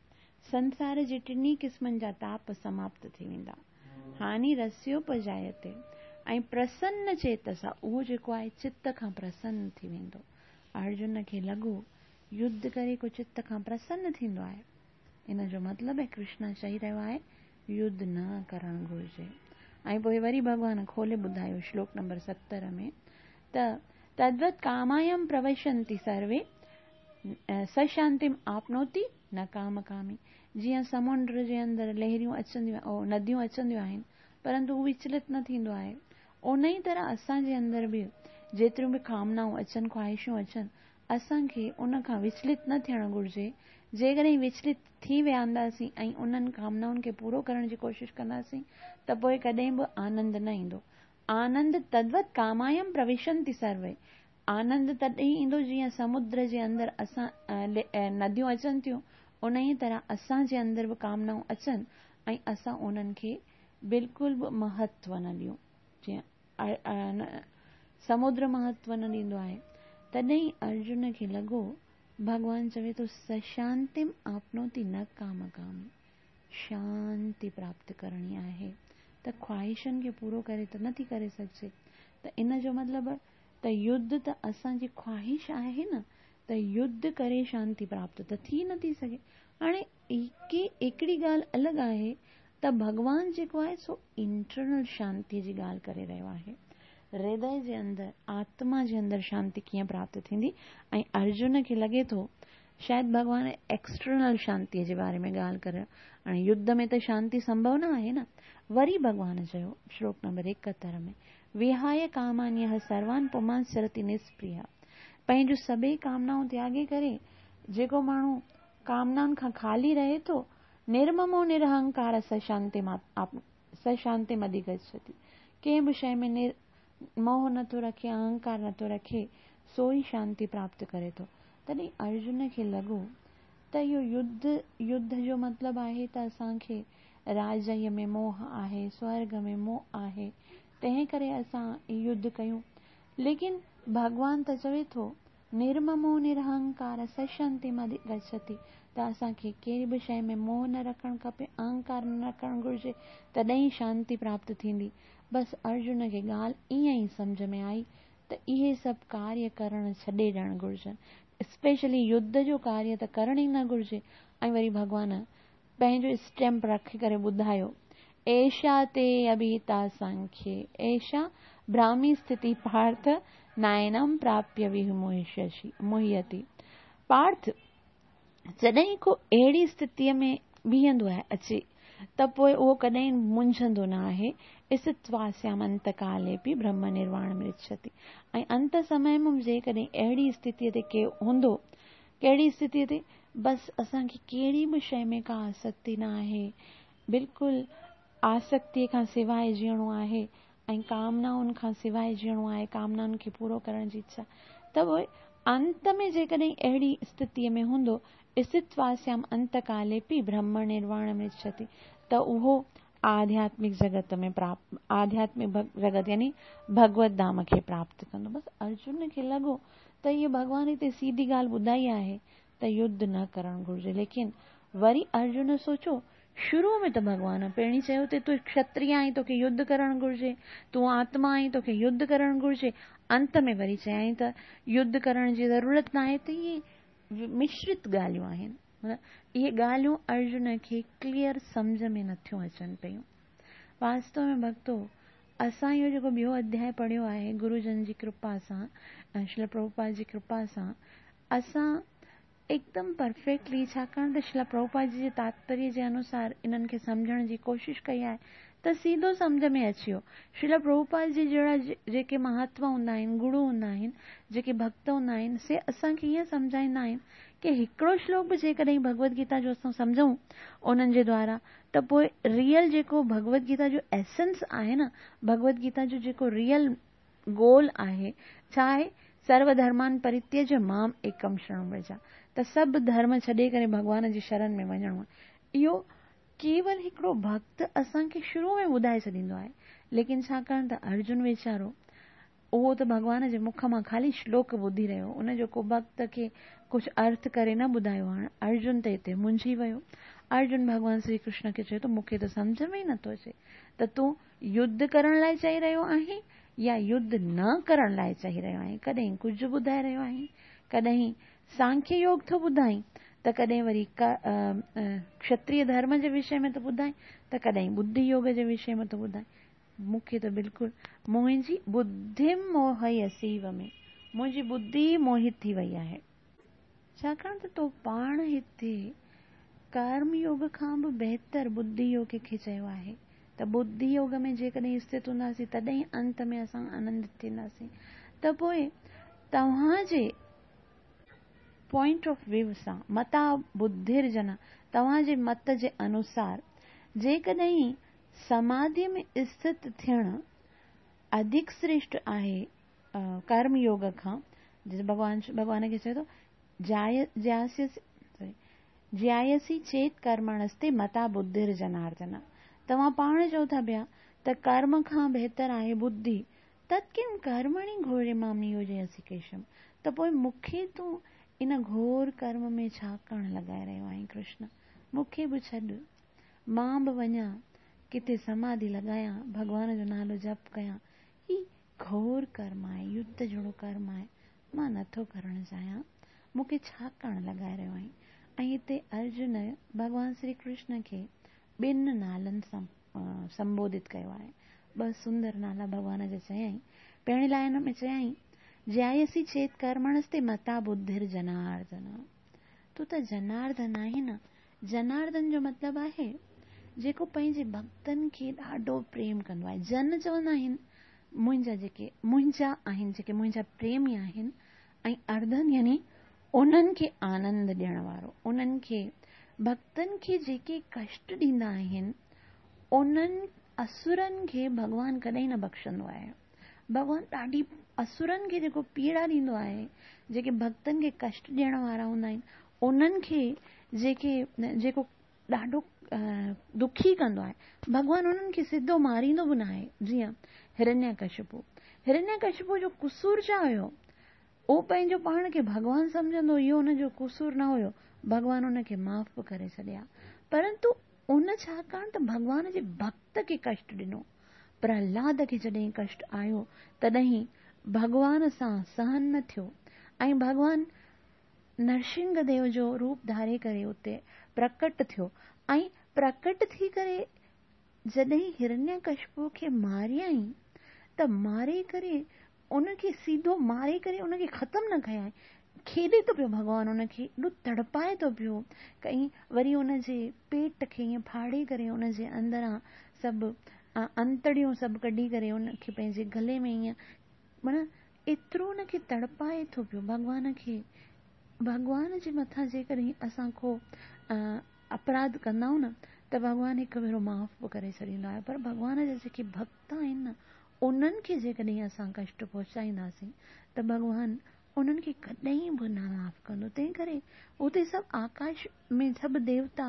संसार जे टिन्ही क़िस्मनि जा ताप समाप्त थी वेंदा। हानिरस्योपजायते ऐं प्रसन्न चेतसा, उहो जेको आहे चित्त खां प्रसन्न थी वेंदो। अर्जुन खे लॻो युद्ध करे को चित्त खां प्रसन्न थींदो आहे, इन जो मतिलबु आहे कृष्ण चई रहियो आहे युद्ध न करणु घुरिजे। ऐं पोइ वरी भॻवान खोले ॿुधायो श्लोक नंबर सतरि में त तद्वत् कामायं प्रविशन्ति सर्वे सशांतिम् आपनोति न काम कामी। जीअं समुंड जे अंदरि लहरियूं अचंदियूं, नदियूं अचंदियूं आहिनि, परंतु उहो विचलित न थींदो आहे, उन ई तरह असांजे अंदरि बि जेतिरियूं बि कामनाऊं अचनि, ख़्वाहिशूं अचनि, असांखे उन खां विचलित न थियणु घुरिजे। जेकॾहिं विचलित थी विहंदासीं ऐं उन्हनि कामनाउनि खे पूरो करण जी कोशिशि कंदासीं त पोइ कॾहिं बि आनंद न ईंदो। आनंद तद्वत् कामायं प्रविशन्ति सर्वे, आनंद तॾहिं ईंदो जीअं समुद्र जे अंदरि असां नदियूं अचनि थियूं, उन ई तरह असांजे अंदरि बि कामनाऊं अचनि ऐं असां उन्हनि खे बिल्कुलु बि महत्व न ॾियूं, जीअं समुद्र महत्व न ॾींदो आहे। तॾहिं अर्जुन खे लॻो भॻवान चवे थो सशांतिम आपनोति न काम कामी, शांति प्राप्त करणी आहे त ख़्वाहिशनि खे पूरो करे त नथी करे सघिजे। त इन जो मतिलबु त युद्ध त असांजी ख़्वाहिश आहे न, त युद्ध करे शांति प्राप्त त थी नथी सघे। हाणे हिकिड़ी ॻाल्हि अलॻि आहे त भॻवान जेको आहे सो इंटरनल शांति जी ॻाल्हि करे रहियो आहे, हृदय जे अंदरि आत्मा जे अंदरि शांति कीअं प्राप्त थींदी। ऐं अर्जुन खे लॻे थो शायदि भॻवान एक्सटर्नल शांतीअ जे बारे में ॻाल्हि करे, हाणे युद्ध में त शांति संभव न आहे न। वरी भॻवान चयो श्लोक नंबर एकहतरि में, विहाय कामान्यः सर्वान् पुमांश्चरति निस्पृहः। पंहिंजूं सभई कामनाऊं त्यागे करे जेको माण्हू कामनाउनि खां खाली रहे थो, निर्ममो निरहंकार स शांतिम् अधिगच्छति। कंहिं बि शइ में निर मोह नथो रखे, अहंकार नथो रखे, सो ई शांति प्राप्त करे थो। तॾहिं अर्जुन खे लॻो त इहो युद्ध युद्ध जो मतिलबु आहे त असांखे राजय में मोह आहे, स्वर्ग में मोह आहे, तंहिं करे असां युद्ध कयूं। लेकिन भॻवान त चवे थो निर्ममो निरहंकार स शांतिम् अधिगच्छति, त असांखे कहिड़ी बि शइ में मोह न रखणु खपे, अहंकार न रखणु घुरिजे, तॾहिं शांति प्राप्त थींदी। बसि अर्जुन खे ॻाल्हि ईअं ई सम्झ में आई त इहे सभु कार्य करणु छॾे ॾियणु घुरिजनि, स्पेशली युद्ध जो कार्य त करणु ई न घुरिजे। ऐं वरी भॻवान पंहिंजो स्टैम्प रखी करे ॿुधायो, एषा ते अभिहिता सांख्ये एषा ब्राह्मी स्थिति पार्थ नायनम प्राप्य विमुह्यसि मुह्यति। पार्थ जॾहिं को अहिड़ी स्थितीअ में बीहंदो आहे अचे त पोइ उहो कॾहिं मुंझंदो न आहे, स्थित्वास्याम अंतकालेपि ब्रह्म निर्वाण मृच्छति। ऐं अंत समय में जेकॾहिं अहिड़ी स्थितीअ ते के हूंदो, कहिड़ी स्थितीअ ते, बसि असांखे कहिड़ी बि शइ में का आसक्ति न आहे, बिल्कुलु आसक्तिअ खां सवाइ जीअणो आहे ऐं कामनाउनि खां सवाइ जीअणो आहे, कामनाउनि खे पूरो करण जी इच्छा, त पोइ अंत में जेकॾहिं अहिड़ी स्थितीअ में हूंदो, स्थित्वास्याम अंतकालेपि ब्रह्म निर्वाण मृच्छति, त उहो आध्यात्मिक जगत में प्राप्त, आध्यात्मिक जगत यानी भगवत धाम खे प्राप्त कंदो। बसि अर्जुन खे लॻो त इहे भॻवान हिते सीधी ॻाल्हि ॿुधाई आहे त युद्ध न करणु घुरिजे। लेकिन वरी अर्जुन सोचो, शुरू में त भॻवान पहिरीं चयो त तूं क्षत्रिय आहीं, तोखे युद्ध करणु घुरिजे, तूं आत्मा आहीं, तोखे युद्ध करणु घुरिजे, अंत में वरी चयईं त युद्ध करण जी ज़रूरत न आहे। त इहे मिश्रित ॻाल्हियूं आहिनि, इहे ॻाल्हियूं अर्जुन खे क्लियर सम्झ में नथियूं अचनि पयूं। वास्तव में भक्तो, असां इहो जेको ॿियो अध्याय पढ़ियो आहे गुरुजन जी कृपा सां, श्रील प्रभुपाद जी कृपा सां, असां एकदम परफेक्टली, छाकाणि त श्रील प्रभुपाद जी जे तात्पर्य जे अनुसार इन्हनि खे सम्झण जी कोशिश कई आहे त सीधो सम्झ में अची वियो। श्रील प्रभुपाद जी जहिड़ा जेके महात्मा हूंदा आहिनि, गुरू हूंदा आहिनि, जेके भक्त हूंदा आहिनि, से असांखे ईअं सम्झाईंदा आहिनि की हिकिड़ो श्लोक बि जेकॾहिं भगवद गीता जो असां सम्झूं उन्हनि जे द्वारा, त पोइ रियल जेको भगवद गीता जो एसेंस आहे न, भगवद गीता जो जेको रियल गोल आहे, छा आहे? सर्वधर्मान परित्यज माम एकम शरण व्रज, त सभु धर्म छॾे करे भॻवान जी शरण में वञिणो आहे। इहो केवल हिकिड़ो भक्त असांखे शुरू में ॿुधाए छॾींदो आहे, लेकिन छाकाणि त अर्जुन वीचारो उहो त भॻवान जे मुख मां ख़ाली श्लोक ॿुधी रहियो, उनजो को भक्त खे कुझु अर्थ करे न ॿुधायो। हाणे अर्जुन त हिते मुंझी वियो। अर्जुन भॻवान श्री कृष्ण खे चयो त मूंखे त सम्झ में ई नथो अचे त तूं युद्ध करण लाइ चई रहियो आहीं या युद्ध न करण लाइ चई रहियो आहीं? कॾहिं कुझु ॿुधाए रहियो आहीं, कॾहिं सांख्य योग थो ॿुधाई, त कॾहिं वरी क्षत्रिय धर्म जे विषय में थो ॿुधाए, त कॾहिं बुद्धि योग जे विषय में थो ॿुधाए। मूंखे त बिल्कुलु मुंहिंजी बुद्धि मोहयसीव में, मुंहिंजी बुद्धि मोहित थी वई आहे। छाकाणि त तो पाण हिते कर्म योग खां बि बहितर बुद्धि योग खे चयो आहे त बुद्धि योग में जेकॾहिं स्थित हूंदासीं तॾहिं अंत में असां आनंदित थींदासीं। त पोइ तव्हांजे पॉइंट ऑफ व्यू सां, मता बुद्धिर्जन, तव्हांजे मत जे अनुसार जेकॾहिं समाधि में स्थित थियणु अधिक श्रेष्ठ आहे कर्म योग खां, भॻवान भॻवान खे चए थो जाय ज्यास्यसि ज्यायसि चेत कर्मणस्ते मता बुद्धिर्जनार्दन, तव्हां पाण चओ था पिया त कर्म खां बहितर आहे बुद्धि, तत् किम कर्मणि घोरे मां नियोजयसि केशव, त पोइ मूंखे तूं इन घोर कर्म में छा करण लॻाए रहियो आहीं कृष्ण? मूंखे बि छॾ, मां बि वञा किथे समाधि लॻायां, भॻवान जो नालो जप कयां। ही घोर कर्म आहे, युद्ध जहिड़ो कर्म आहे, मां नथो करणु चाहियां, मूंखे छा करण लॻाए रहियो आहीं? ऐं हिते अर्जुन भॻवान श्री कृष्ण खे ॿिनि नालनि सां संबोधित कयो आहे। ॿ सुंदर नाला भॻवान जा चयईं। पहिरीं लाइन में चयईं ज्यायसि चेत कर्मणस्ते मता बुद्धिर जनार्दन, तूं त जनार्दन आहीं न। जनार्दन जो मतिलबु आहे जेको पंहिंजे भक्तनि खे ॾाढो प्रेम कंदो आहे। जन चवंदा आहिनि मुंहिंजा जेके मुंहिंजा आहिनि, जेके मुंहिंजा प्रेमी आहिनि, ऐं अर्धन यानी उन्हनि खे आनंद ॾियण वारो, उन्हनि खे भक्तनि खे जेके कष्ट ॾींदा आहिनि उन्हनि असुरनि खे भॻवान कॾहिं न बख़्शंदो आहे। भॻवान ॾाढी असुरनि खे जेको पीड़ा ॾींदो आहे, जेके भक्तनि खे कष्ट ॾियण वारा हूंदा आहिनि, उन्हनि खे जेके जेको ॾाढो दुखी कंदो आहे, भॻवान उन्हनि खे सिधो मारींदो बि न आहे। जीअं हिरण्यकशिपु, हिरण्यकशिपु जो कुसूर छा हुयो? उहो पंहिंजो पाण खे भॻवान सम्झंदो, इहो हुनजो कुसूर न हुयो, भॻवान हुनखे माफ़ बि करे छॾिया। परंतु उन छाकाणि त भॻवान जे भक्त खे कष्ट ॾिनो। प्रहलाद खे जॾहिं कष्ट आयो तॾहिं भॻवान सां सहन न थियो ऐं भॻवान नरसिंह देव जो रूप धारे करे उते प्रकट थियो ऐं प्रकट थी करे जॾहिं हिरण्यकशिपु खे मारियईं त मारे करे उनखे सीधो मारे करे उनखे ख़तमु न कयईं, खेॾे थो पियो भॻवान उनखे, एॾो तड़पाए थो पियो, कहीं वरी उनजे पेट खे ईअं फाड़े करे उनजे अंदरां सभु انتڙيون سڀ ڪڍي ڪري ان کي پنهنجي گلي ۾ ائين معنيٰ ايترو ان کي تڙپائي ٿو پيو ڀڳوان کي. ڀڳوان جي مٿان جيڪڏهن اسان ڪو اپراڌ ڪندا آهيون نه ته ڀڳوان هڪ ڀيرو معاف به ڪري ڇڏيندو آهي، پر ڀڳوان جا جيڪي ڀڪت آهن نه انهن کي جيڪڏهن اسان ڪشٽ پهچائينداسين ته ڀڳوان انهن کي ڪڏهن به نه معاف ڪندو. تنهن ڪري اتي سڀ آڪاش ۾ سڀ ديوتا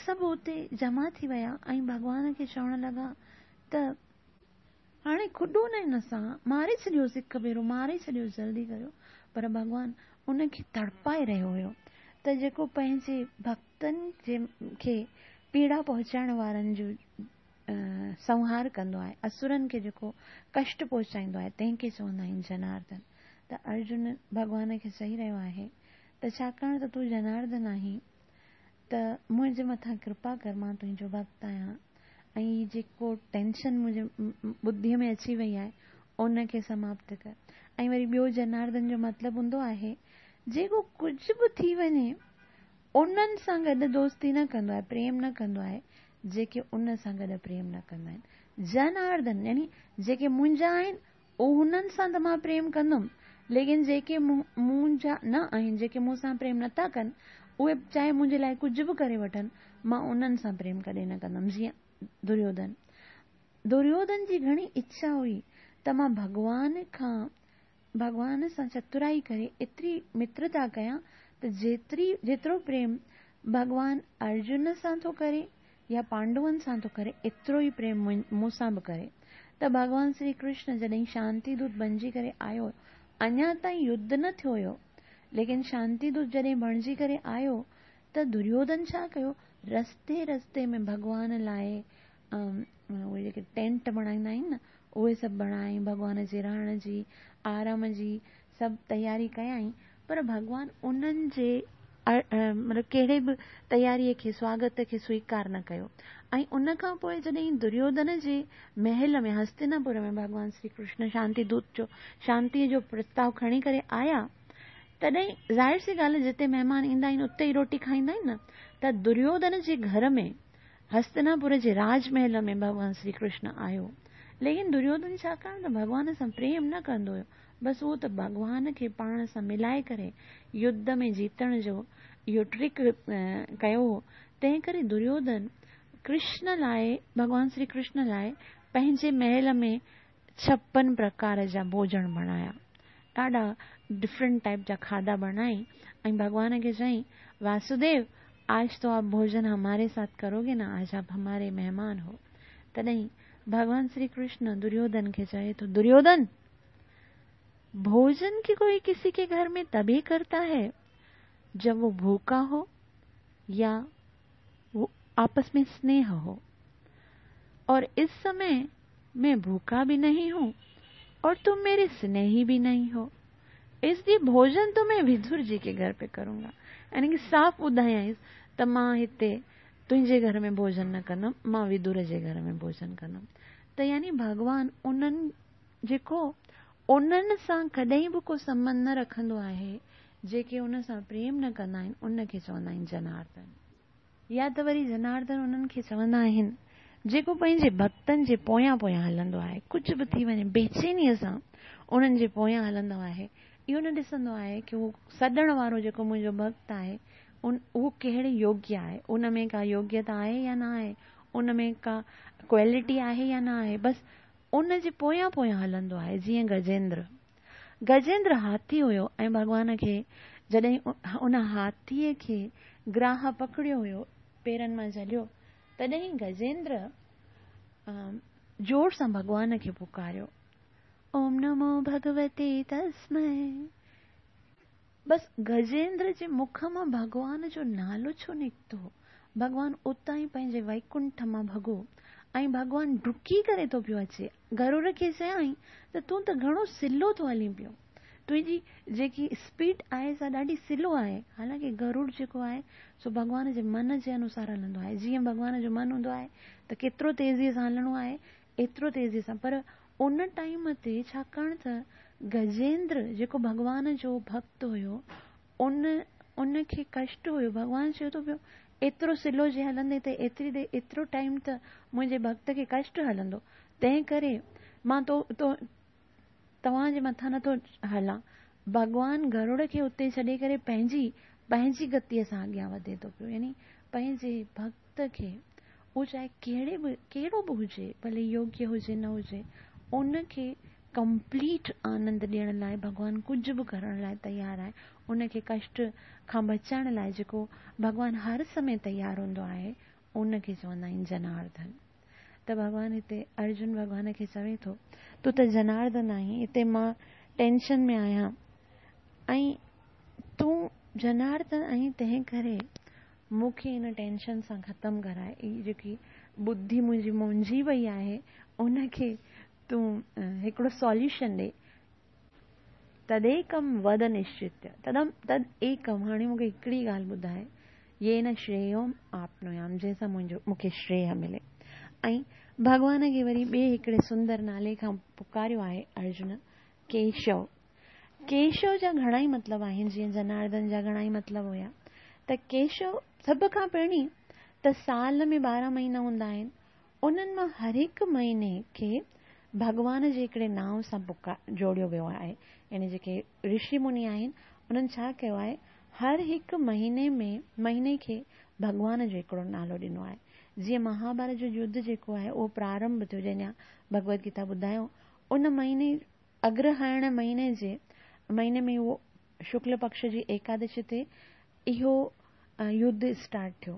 سڀ اتي جمع ٿي ويا ۽ ڀڳوان کي چوڻ لڳا ته هاڻي کڏو نه هن سان، ماري ڇڏيوس، هڪ ڀيرو ماري ڇڏيوس، جلدي ڪريو. پر ڀڳوان ان کي تڙپائي رهيو هيو ته جيڪو پنهنجي ڀڪتن جي کي پيڙا پهچائڻ وارن جو سنهار ڪندو آهي، اسرن کي جيڪو ڪشٽ پهچائيندو آهي، تنهن کي چوندا آهن جناردن. ته ارجن ڀڳوان کي چئي رهيو آهي ته ڇاڪاڻ ته تون جناردن آهين ته منهنجي مٿان ڪرپا ڪر، مان تنهنجو ڀڪت آهيان ۽ هي جيڪو ٽينشن منهنجي ٻڌيءَ ۾ اچي وئي آهي ان کي سماپت ڪر. ۽ وري ٻيو جناردن جو مطلب هوندو آهي جيڪو ڪجهه به ٿي وڃي انهن سان گڏ دوستي نه ڪندو آهي، پريم نه ڪندو آهي، جيڪي ان سان گڏ پريم نه ڪندا آهن. جناردن يعني جيڪي منهنجا آهن انهن سان ته مان پريم ڪندم، ليڪن جيڪي منهنجا نه آهن، جيڪي مون سان پريم نٿا ڪن، اهي چاهي منهنجي لاءِ ڪجهه به ڪري وٺن، مان انهن سان پريم ڪڏهن نه ڪندم. جيئن دريوڌن، دريوڌن جي گهڻي اڇا هئي ته مان ڀڳوان کان ڀڳوان سان چترائي ڪري ايتري مترتا ڪيان ته جيتري جيترو پريم ڀڳوان ارجن سان ٿو ڪري يا پانڊون سان ٿو ڪري، ايترو ئي پريم مون سان به ڪري. ته ڀڳوان شري ڪرشن جڏهن شانتي دوت بڻجي ڪري آيو، اڃا تائين يڌ نه ٿيو هيو، ليڪن شانتي دوت جڏهن بڻجي ڪري آيو ته دريوڌن ڇا ڪيو، رستي رستي ۾ ڀڳوان لاءِ اهي جيڪي ٽينٽ بڻائيندا آهن نه اهي سڀ بڻائي ڀڳوان جي رهڻ جي آرام جي سڀ تياري ڪيائين، پر ڀڳوان انهن جي مطلب ڪهڙي به تياريءَ کي سواگت کي سويڪار نه ڪيو. ۽ ان کان پوءِ جڏهن دريوڌن جي محل ۾ هستناپور ۾ ڀڳوان شري ڪرشن شانتي دوت جو شانتيءَ جو پرستاو کڻي ڪري آيا، تڏهن ظاهر سي ڳالهه جتي مهمان ايندا آهن اتي ئي روٽي کائيندا آهن نه، ته دريوڌن جي گهر ۾ هستناپور جي راج محل ۾ ڀڳوان شري ڪرشن آيو. ليڪن دريوڌن ڇاڪاڻ ته ڀڳوان سان پريم نه ڪندو هيو، بس اهو ته ڀڳوان کي پاڻ سان ملائي ڪري يڌ ۾ جيتڻ جو اهو ٽرڪ ڪيو هو، تنهن ڪري دريوڌن ڪرشن لاءِ ڀڳوان شري ڪرشن لاءِ پنهنجي محل ۾ ڇپن پرڪار جا ڀوڄن بڻايا، ڏاڍا ڊفرنٽ ٽائپ جا کاڌا بڻائي ۽ ڀڳوان کي چيائين، واسديو آج تو آپ ڀوڄن هماري ساٿ ڪروگي نه، آج آپ هماري مهمان هو. تڏهن ڀڳوان شري ڪرشن دريوڌن کي چئي ٿو، دريوڌن भोजन की कोई किसी के घर में तभी करता है जब वो भूखा हो या वो आपस में स्नेह हो, और इस समय मैं भूखा भी नहीं हूं और तुम मेरे स्नेही भी नहीं हो, इसलिए भोजन तो मैं विदुर जी के घर पे करूंगा। यानी कि साफ़ ॿुधायाईंसि त मां हिते तुंहिंजे घर में भोजन न कंदुमि, मां विदुर जे घर में भोजन कंदुमि। त यानी भॻवान उन्हनि जेको उन्हनि सां कॾहिं बि को संबंध न रखंदो आहे, जेके उन सां प्रेम न कंदा आहिनि, उनखे चवंदा आहिनि जनार्दन। या त वरी जनार्दन उन्हनि खे चवंदा आहिनि जेको पंहिंजे भक्तनि जे पोयां पोयां हलंदो आहे, कुझु बि थी वञे बेचैनीअ सां उन्हनि जे पोयां हलंदो आहे, इहो न ॾिसंदो आहे की उहो सॾण वारो जेको मुंहिंजो भक्त आहे उन उहो कहिड़े योग्य आहे, उन में का योग्यता आहे या न आहे, उन में का क्वालिटी आहे या न आहे, बसि उन जे पोयां पोयां हलंदो आहे। जीअं गजेंद्र, गजेंद्र हाथी हुयो ऐं भॻवान खे जॾहिं उन हाथीअ खे ग्राह पकड़ियो हुयो, पेरनि मां झलियो, तॾहिं गजेंद्र ज़ोर सां भॻवान खे पुकारियो, ओम नमो भगवते तस्मै। बसि गजेंद्र जे मुख मां भॻवान जो नालो छो निकितो, भॻवान उतां ई पंहिंजे वैकुंठ मां भॻो ऐं भॻवान डुकी करे थो पियो अचे। गरुड़ खे चयाईं त तूं त घणो सिलो थो हली पियो, तुंहिंजी जेकी स्पीड आहे सा ॾाढी सिलो आहे। हालांकि गरुड़ जेको आहे सो भॻवान जे मन जे अनुसार हलंदो आहे, जीअं भॻवान जो मन हूंदो आहे त केतिरो तेज़ीअ सां हलणो आहे एतिरो तेज़ीअ सां। पर उन टाइम ते छाकाणि त गजेंद्र जेको भॻवान जो भक्त हुयो उन उनखे कष्ट हुयो, भॻवान चयो थो पियो ايترو سلو جي هلندي ته ايتري دير ايترو ٽائيم ته منهنجي ڀڳت کي ڪشٽ هلندو، تنهن ڪري مان تو تو توهان جي مٿان نٿو هلان. ڀڳوان گروڙ کي اتي ڇڏي ڪري پنهنجي پنهنجي گتيءَ سان اڳيان وڌي ٿو پيو، يعني پنهنجي ڀڳت کي اهو چاهي ڪهڙي به ڪهڙو به هجي، ڀلي يوگيه هجي نه هجي، ان کي ڪمپليٽ آنند ڏيڻ لاءِ ڀڳوان ڪجهه به ڪرڻ لاءِ تيار آهي. ان کي ڪشٽ کان بچائڻ لاءِ جيڪو ڀڳوان هر سمي تيار هوندو آهي ان کي چوندا آهن جناردن. ته ڀڳوان هتي ارجن ڀڳوان کي چوي ٿو تون ته جناردن آهين، هتي مان ٽينشن ۾ آهيان ۽ تون جناردن آهين، تنهن ڪري مون کي هن ٽينشن سان ختم ڪرائي. هي جيڪي ٻڌي منهنجي منجهي وئي آهي ان کي تون هڪڙو سوليوشن ڏي. تديڪم ود نشچت تدم تد ايڪم، هاڻي مون کي هڪڙي ڳالهه ٻڌائي، يي نه شريوم آپنويام، جنهن سان منهنجو مون کي شريه ملي. ۽ ڀڳوان کي وري ٻئي هڪڙي سندر نالي کان پڪاريو آهي ارجن، ڪيشو. ڪيشو جا گهڻا ئي مطلب آهن، جيئن جناردن جا گهڻا ئي مطلب هئا. ته ڪيشو سڀ کان پهرين ته سال ۾ ٻارهن مهينا هوندا آهن، انهن مان هر هڪ مهيني کي ڀڳوان جي هڪڙي نانءُ سان پڪا جوڙيو ويو آهي. يعني جيڪي رشي مني آهن انهن ڇا ڪيو آهي، هر هڪ مهيني ۾ مهيني کي ڀڳوان جو هڪڙو نالو ڏنو آهي. جيئن مهاڀارت جو يڌ جيڪو آهي اهو پرارنڀ ٿيو، جنهن جا ڀڳوت گيتا ٻڌايو، ان مهيني اگرهائڻ مهيني جي مهيني ۾ اهو شڪل پڪش جي ايڪادشي تي اهو يڌ اسٽارٽ ٿيو.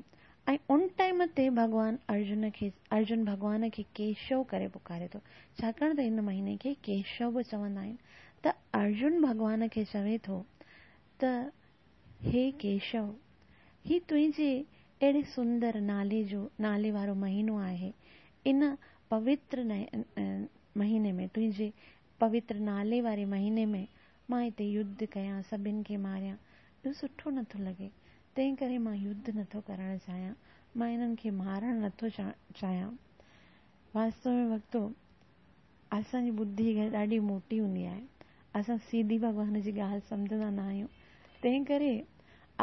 ۽ ان ٽائيم تي ڀڳوان ارجن کي ارجن ڀڳوان کي ڪيشو ڪري پڪاري ٿو، ڇاڪاڻ ته هن مهيني کي ڪيشو به چوندا آهن. ته ارجن ڀڳوان کي چوي ٿو ته هي ڪيشو، هي تنهنجي اهڙي سندر نالي جو نالي وارو مهينو آهي، ان پوتر مهيني ۾ تنهنجي پوتر نالي واري مهيني ۾ مان هتي يڌ ڪيان، سڀني کي ماريان، اهو سٺو نٿو لڳي، تنهن ڪري مان يڌ نٿو ڪرڻ چاهيان، مان هنن کي مارڻ نٿو چاهيان. واستو ۾ ڀڳتو، اسان جي ٻڌي ڏاڍي موٽي هوندي آهي، اسان سيڌي ڀڳوان جي ڳالهه سمجهندا نه آهيون. تنهن ڪري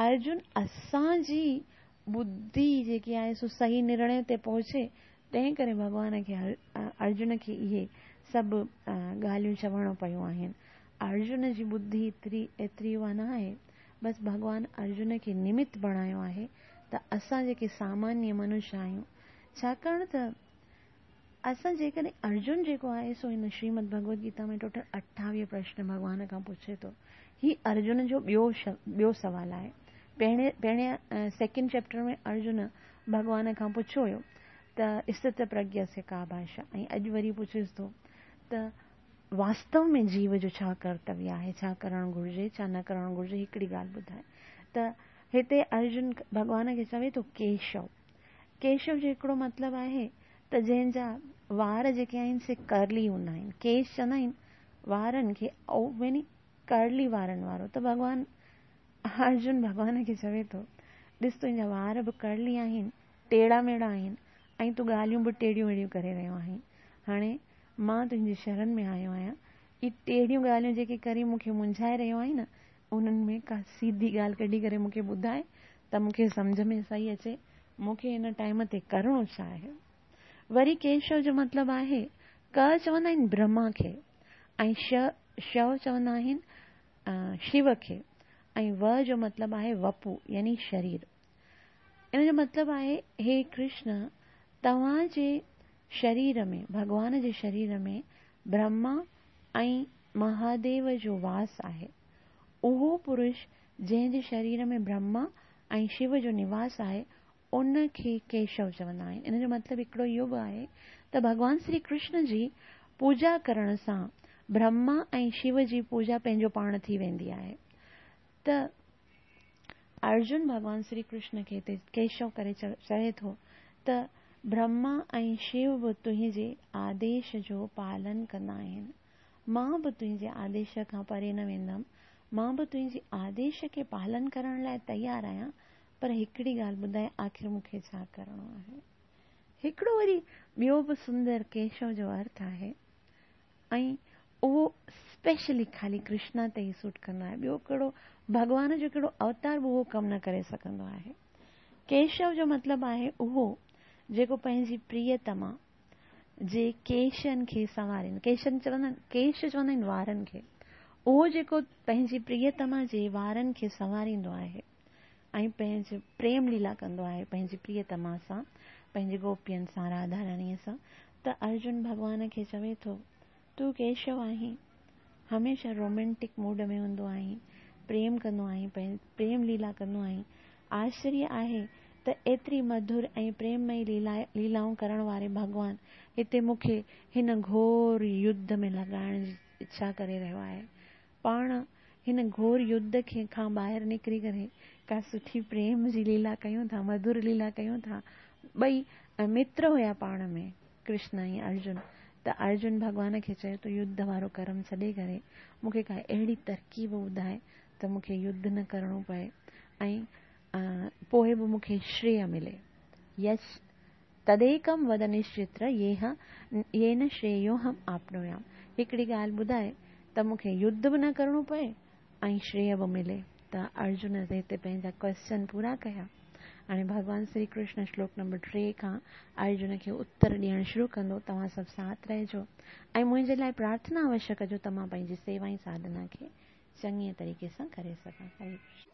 ارجن اسان جي ٻڌي جيڪي آهي سو صحيح نرڻي تي پهچي، تنهن ڪري ڀڳوان کي ارجن کي اهي سڀ ڳالهيون چوڻو پيون آهن. ارجن جي ٻڌي ايتري ايتري اها نه آهي، بس ڀڳوان ارجن کي نمت بڻايو آهي ته اسان جيڪي سامانيه منشيه آهيون، ڇاڪاڻ ته اسان جيڪڏهن ارجن جيڪو آهي سو هن شريمد ڀڳوت گيتا ۾ ٽوٽل اٺاويهه پرشن ڀڳوان کان پڇي ٿو. هي ارجن جو ٻيو ٻيو سوال آهي. پهرين پهرين سيڪنڊ چيپٽر ۾ ارجن ڀڳوان کان پڇيو هيو ته اسٿت پرگيا سي ڪا ڀاشا، ۽ اڄ وري پڇيس ٿو ته واستو ۾ جيو جو ڇا ڪرتويه آهي، ڇا ڪرڻ گهرجي، ڇا نه ڪرڻ گهرجي، هڪڙي ڳالهه ٻڌائي. ته هتي ارجن ڀڳوان کي چوي ٿو ڪيشو. ڪيشو جو هڪڙو مطلب آهي ته جنهن جا وار جيڪي آهن سي ڪرلي هوندا آهن، ڪيش چوندا آهن وارن کي، يعني ڪرلي وارن وارو. ته ڀڳوان ارجن ڀڳوان کي چوي ٿو ڏس تنهنجا وار به ڪرلي آهن، ٽيڙا ميڙا آهن، ۽ تون ڳالهيون به ٽيڙيون ميڙيون ڪري رهيو آهين. هاڻي مان تنهنجي شرڻ ۾ آيو آهيان، اهي ٽيڙيون ڳالهيون جيڪي ڪري مون کي منجهائي رهيو آهين نه، انهن ۾ ڪا سيڌي ڳالهه ڪڍي ڪري مون کي ٻڌائي ته مون کي سمجهه ۾ صحيح اچي، مون کي هن ٽائيم تي ڪرڻو ڇا آهي. وري ڪيشو جو مطلب آهي، ڪ چوندا آهن برهما کي، ۽ ش شو چوندا آهن شو کي، ۽ و جو مطلب آهي وپو يعني شرير. ان جو مطلب آهي هي ڪرشن، توهان جي شرير ۾ ڀڳوان جي شرير ۾ برهما ۽ مهاديو جو واس آهي. اهو پرش جنهن جي شرير ۾ برهما ۽ شو جو نواس آهي ان کي ڪيشو چوندا آهن. ان جو مطلب هڪڙو اهو به آهي ته ڀڳوان شري ڪرشن جي پوڄا ڪرڻ سان برهما ۽ شو جي پوڄا پنهنجو پاڻ ٿي ويندي آهي. ته ارجن ڀڳوان شري ڪرشن کي هتي ڪيشو ڪري چوي ٿو ته برهما ۽ شو به تنهنجي آديش جو پالن ڪندا آهن، مان به تنهنجي آديش کان پري نه ويندم، مان به تنهنجي آديش کي پالن ڪرڻ لاءِ تيار آهيان، پر هڪڙي ڳالهه ٻڌائي آخر مون کي ڇا ڪرڻو آهي. هڪڙو وري ٻيو به سندر ڪيشو جو ارٿ آهي، ۽ اهو اسپيشلي خالي ڪرشنا تي ئي سوٽ ڪندو آهي، ٻيو ڪهڙو ڀڳوان جو ڪهڙو اوتار به اهو ڪم نه ڪري سگهندو آهي. ڪيشو جو مطلب آهي اهو جيڪو پنهنجي پريتما جي ڪيشن کي سنوارين، ڪيشن چوندا آهن، ڪيش چوندا آهن وارن کي، اهو جيڪو پنهنجي پريتما جي وارن کي سنواريندو آهي ۽ پنهنجي پريم ليلا ڪندو آهي پنهنجي پريتما سان، پنهنجي گوپين سان، راڌا رانيءَ سان. ته ارجن ڀڳوان کي چوي ٿو تون ڪيشو آهين، هميشه رومينٽڪ موڊ ۾ هوندو آهين، پريم ڪندو آهين، پريم ليلا ڪندو آهين. آشچريه آهي ته ايتري مڌر ۽ پريممئي ليلا ليلائون ڪرڻ واري ڀڳوان هتي مون کي هن گهور يڌ ۾ لڳائڻ جي اڇا ڪري رهيو آهي. پاڻ هن گهور يڌ کي کان ٻاهر نڪري ڪري ڪا سٺي پريم جي ليلا ڪيون ٿا، مڌر ليلا ڪيون ٿا. ٻئي متر هيا پاڻ ۾ ڪرشن ۽ ارجن. ته ارجن ڀڳوان کي چيو ته يڌ وارو ڪرم ڇڏي ڪري مون کي ڪا اهڙي ترڪيب ٻڌائي ته مون کي يڌ نه ڪرڻو پئي ۽ پوءِ به مون کي شريه ملي. يش تديڪم ود نشچتر ييهه يين شريوهم آپنويام. هڪڙي ڳالهه ٻڌائي ته مون کي يڌ به نه ڪرڻو پئي ۽ شريه به ملي. ته ارجن هتي پنهنجا ڪويشچن پورا ڪيا. هاڻي ڀڳوان شري ڪرشن شلوڪ نمبر ٽي کان ارجن کي اتر ڏيڻ شروع ڪندو. توهان سڀ ساٿ رهجو ۽ منهنجي لاءِ پرارٿنا اوشيه ڪجو ته مان پنهنجي سيوا ۽ ساڌنا کي چڱي طريقي سان ڪري سگهان. هري ڪرشن.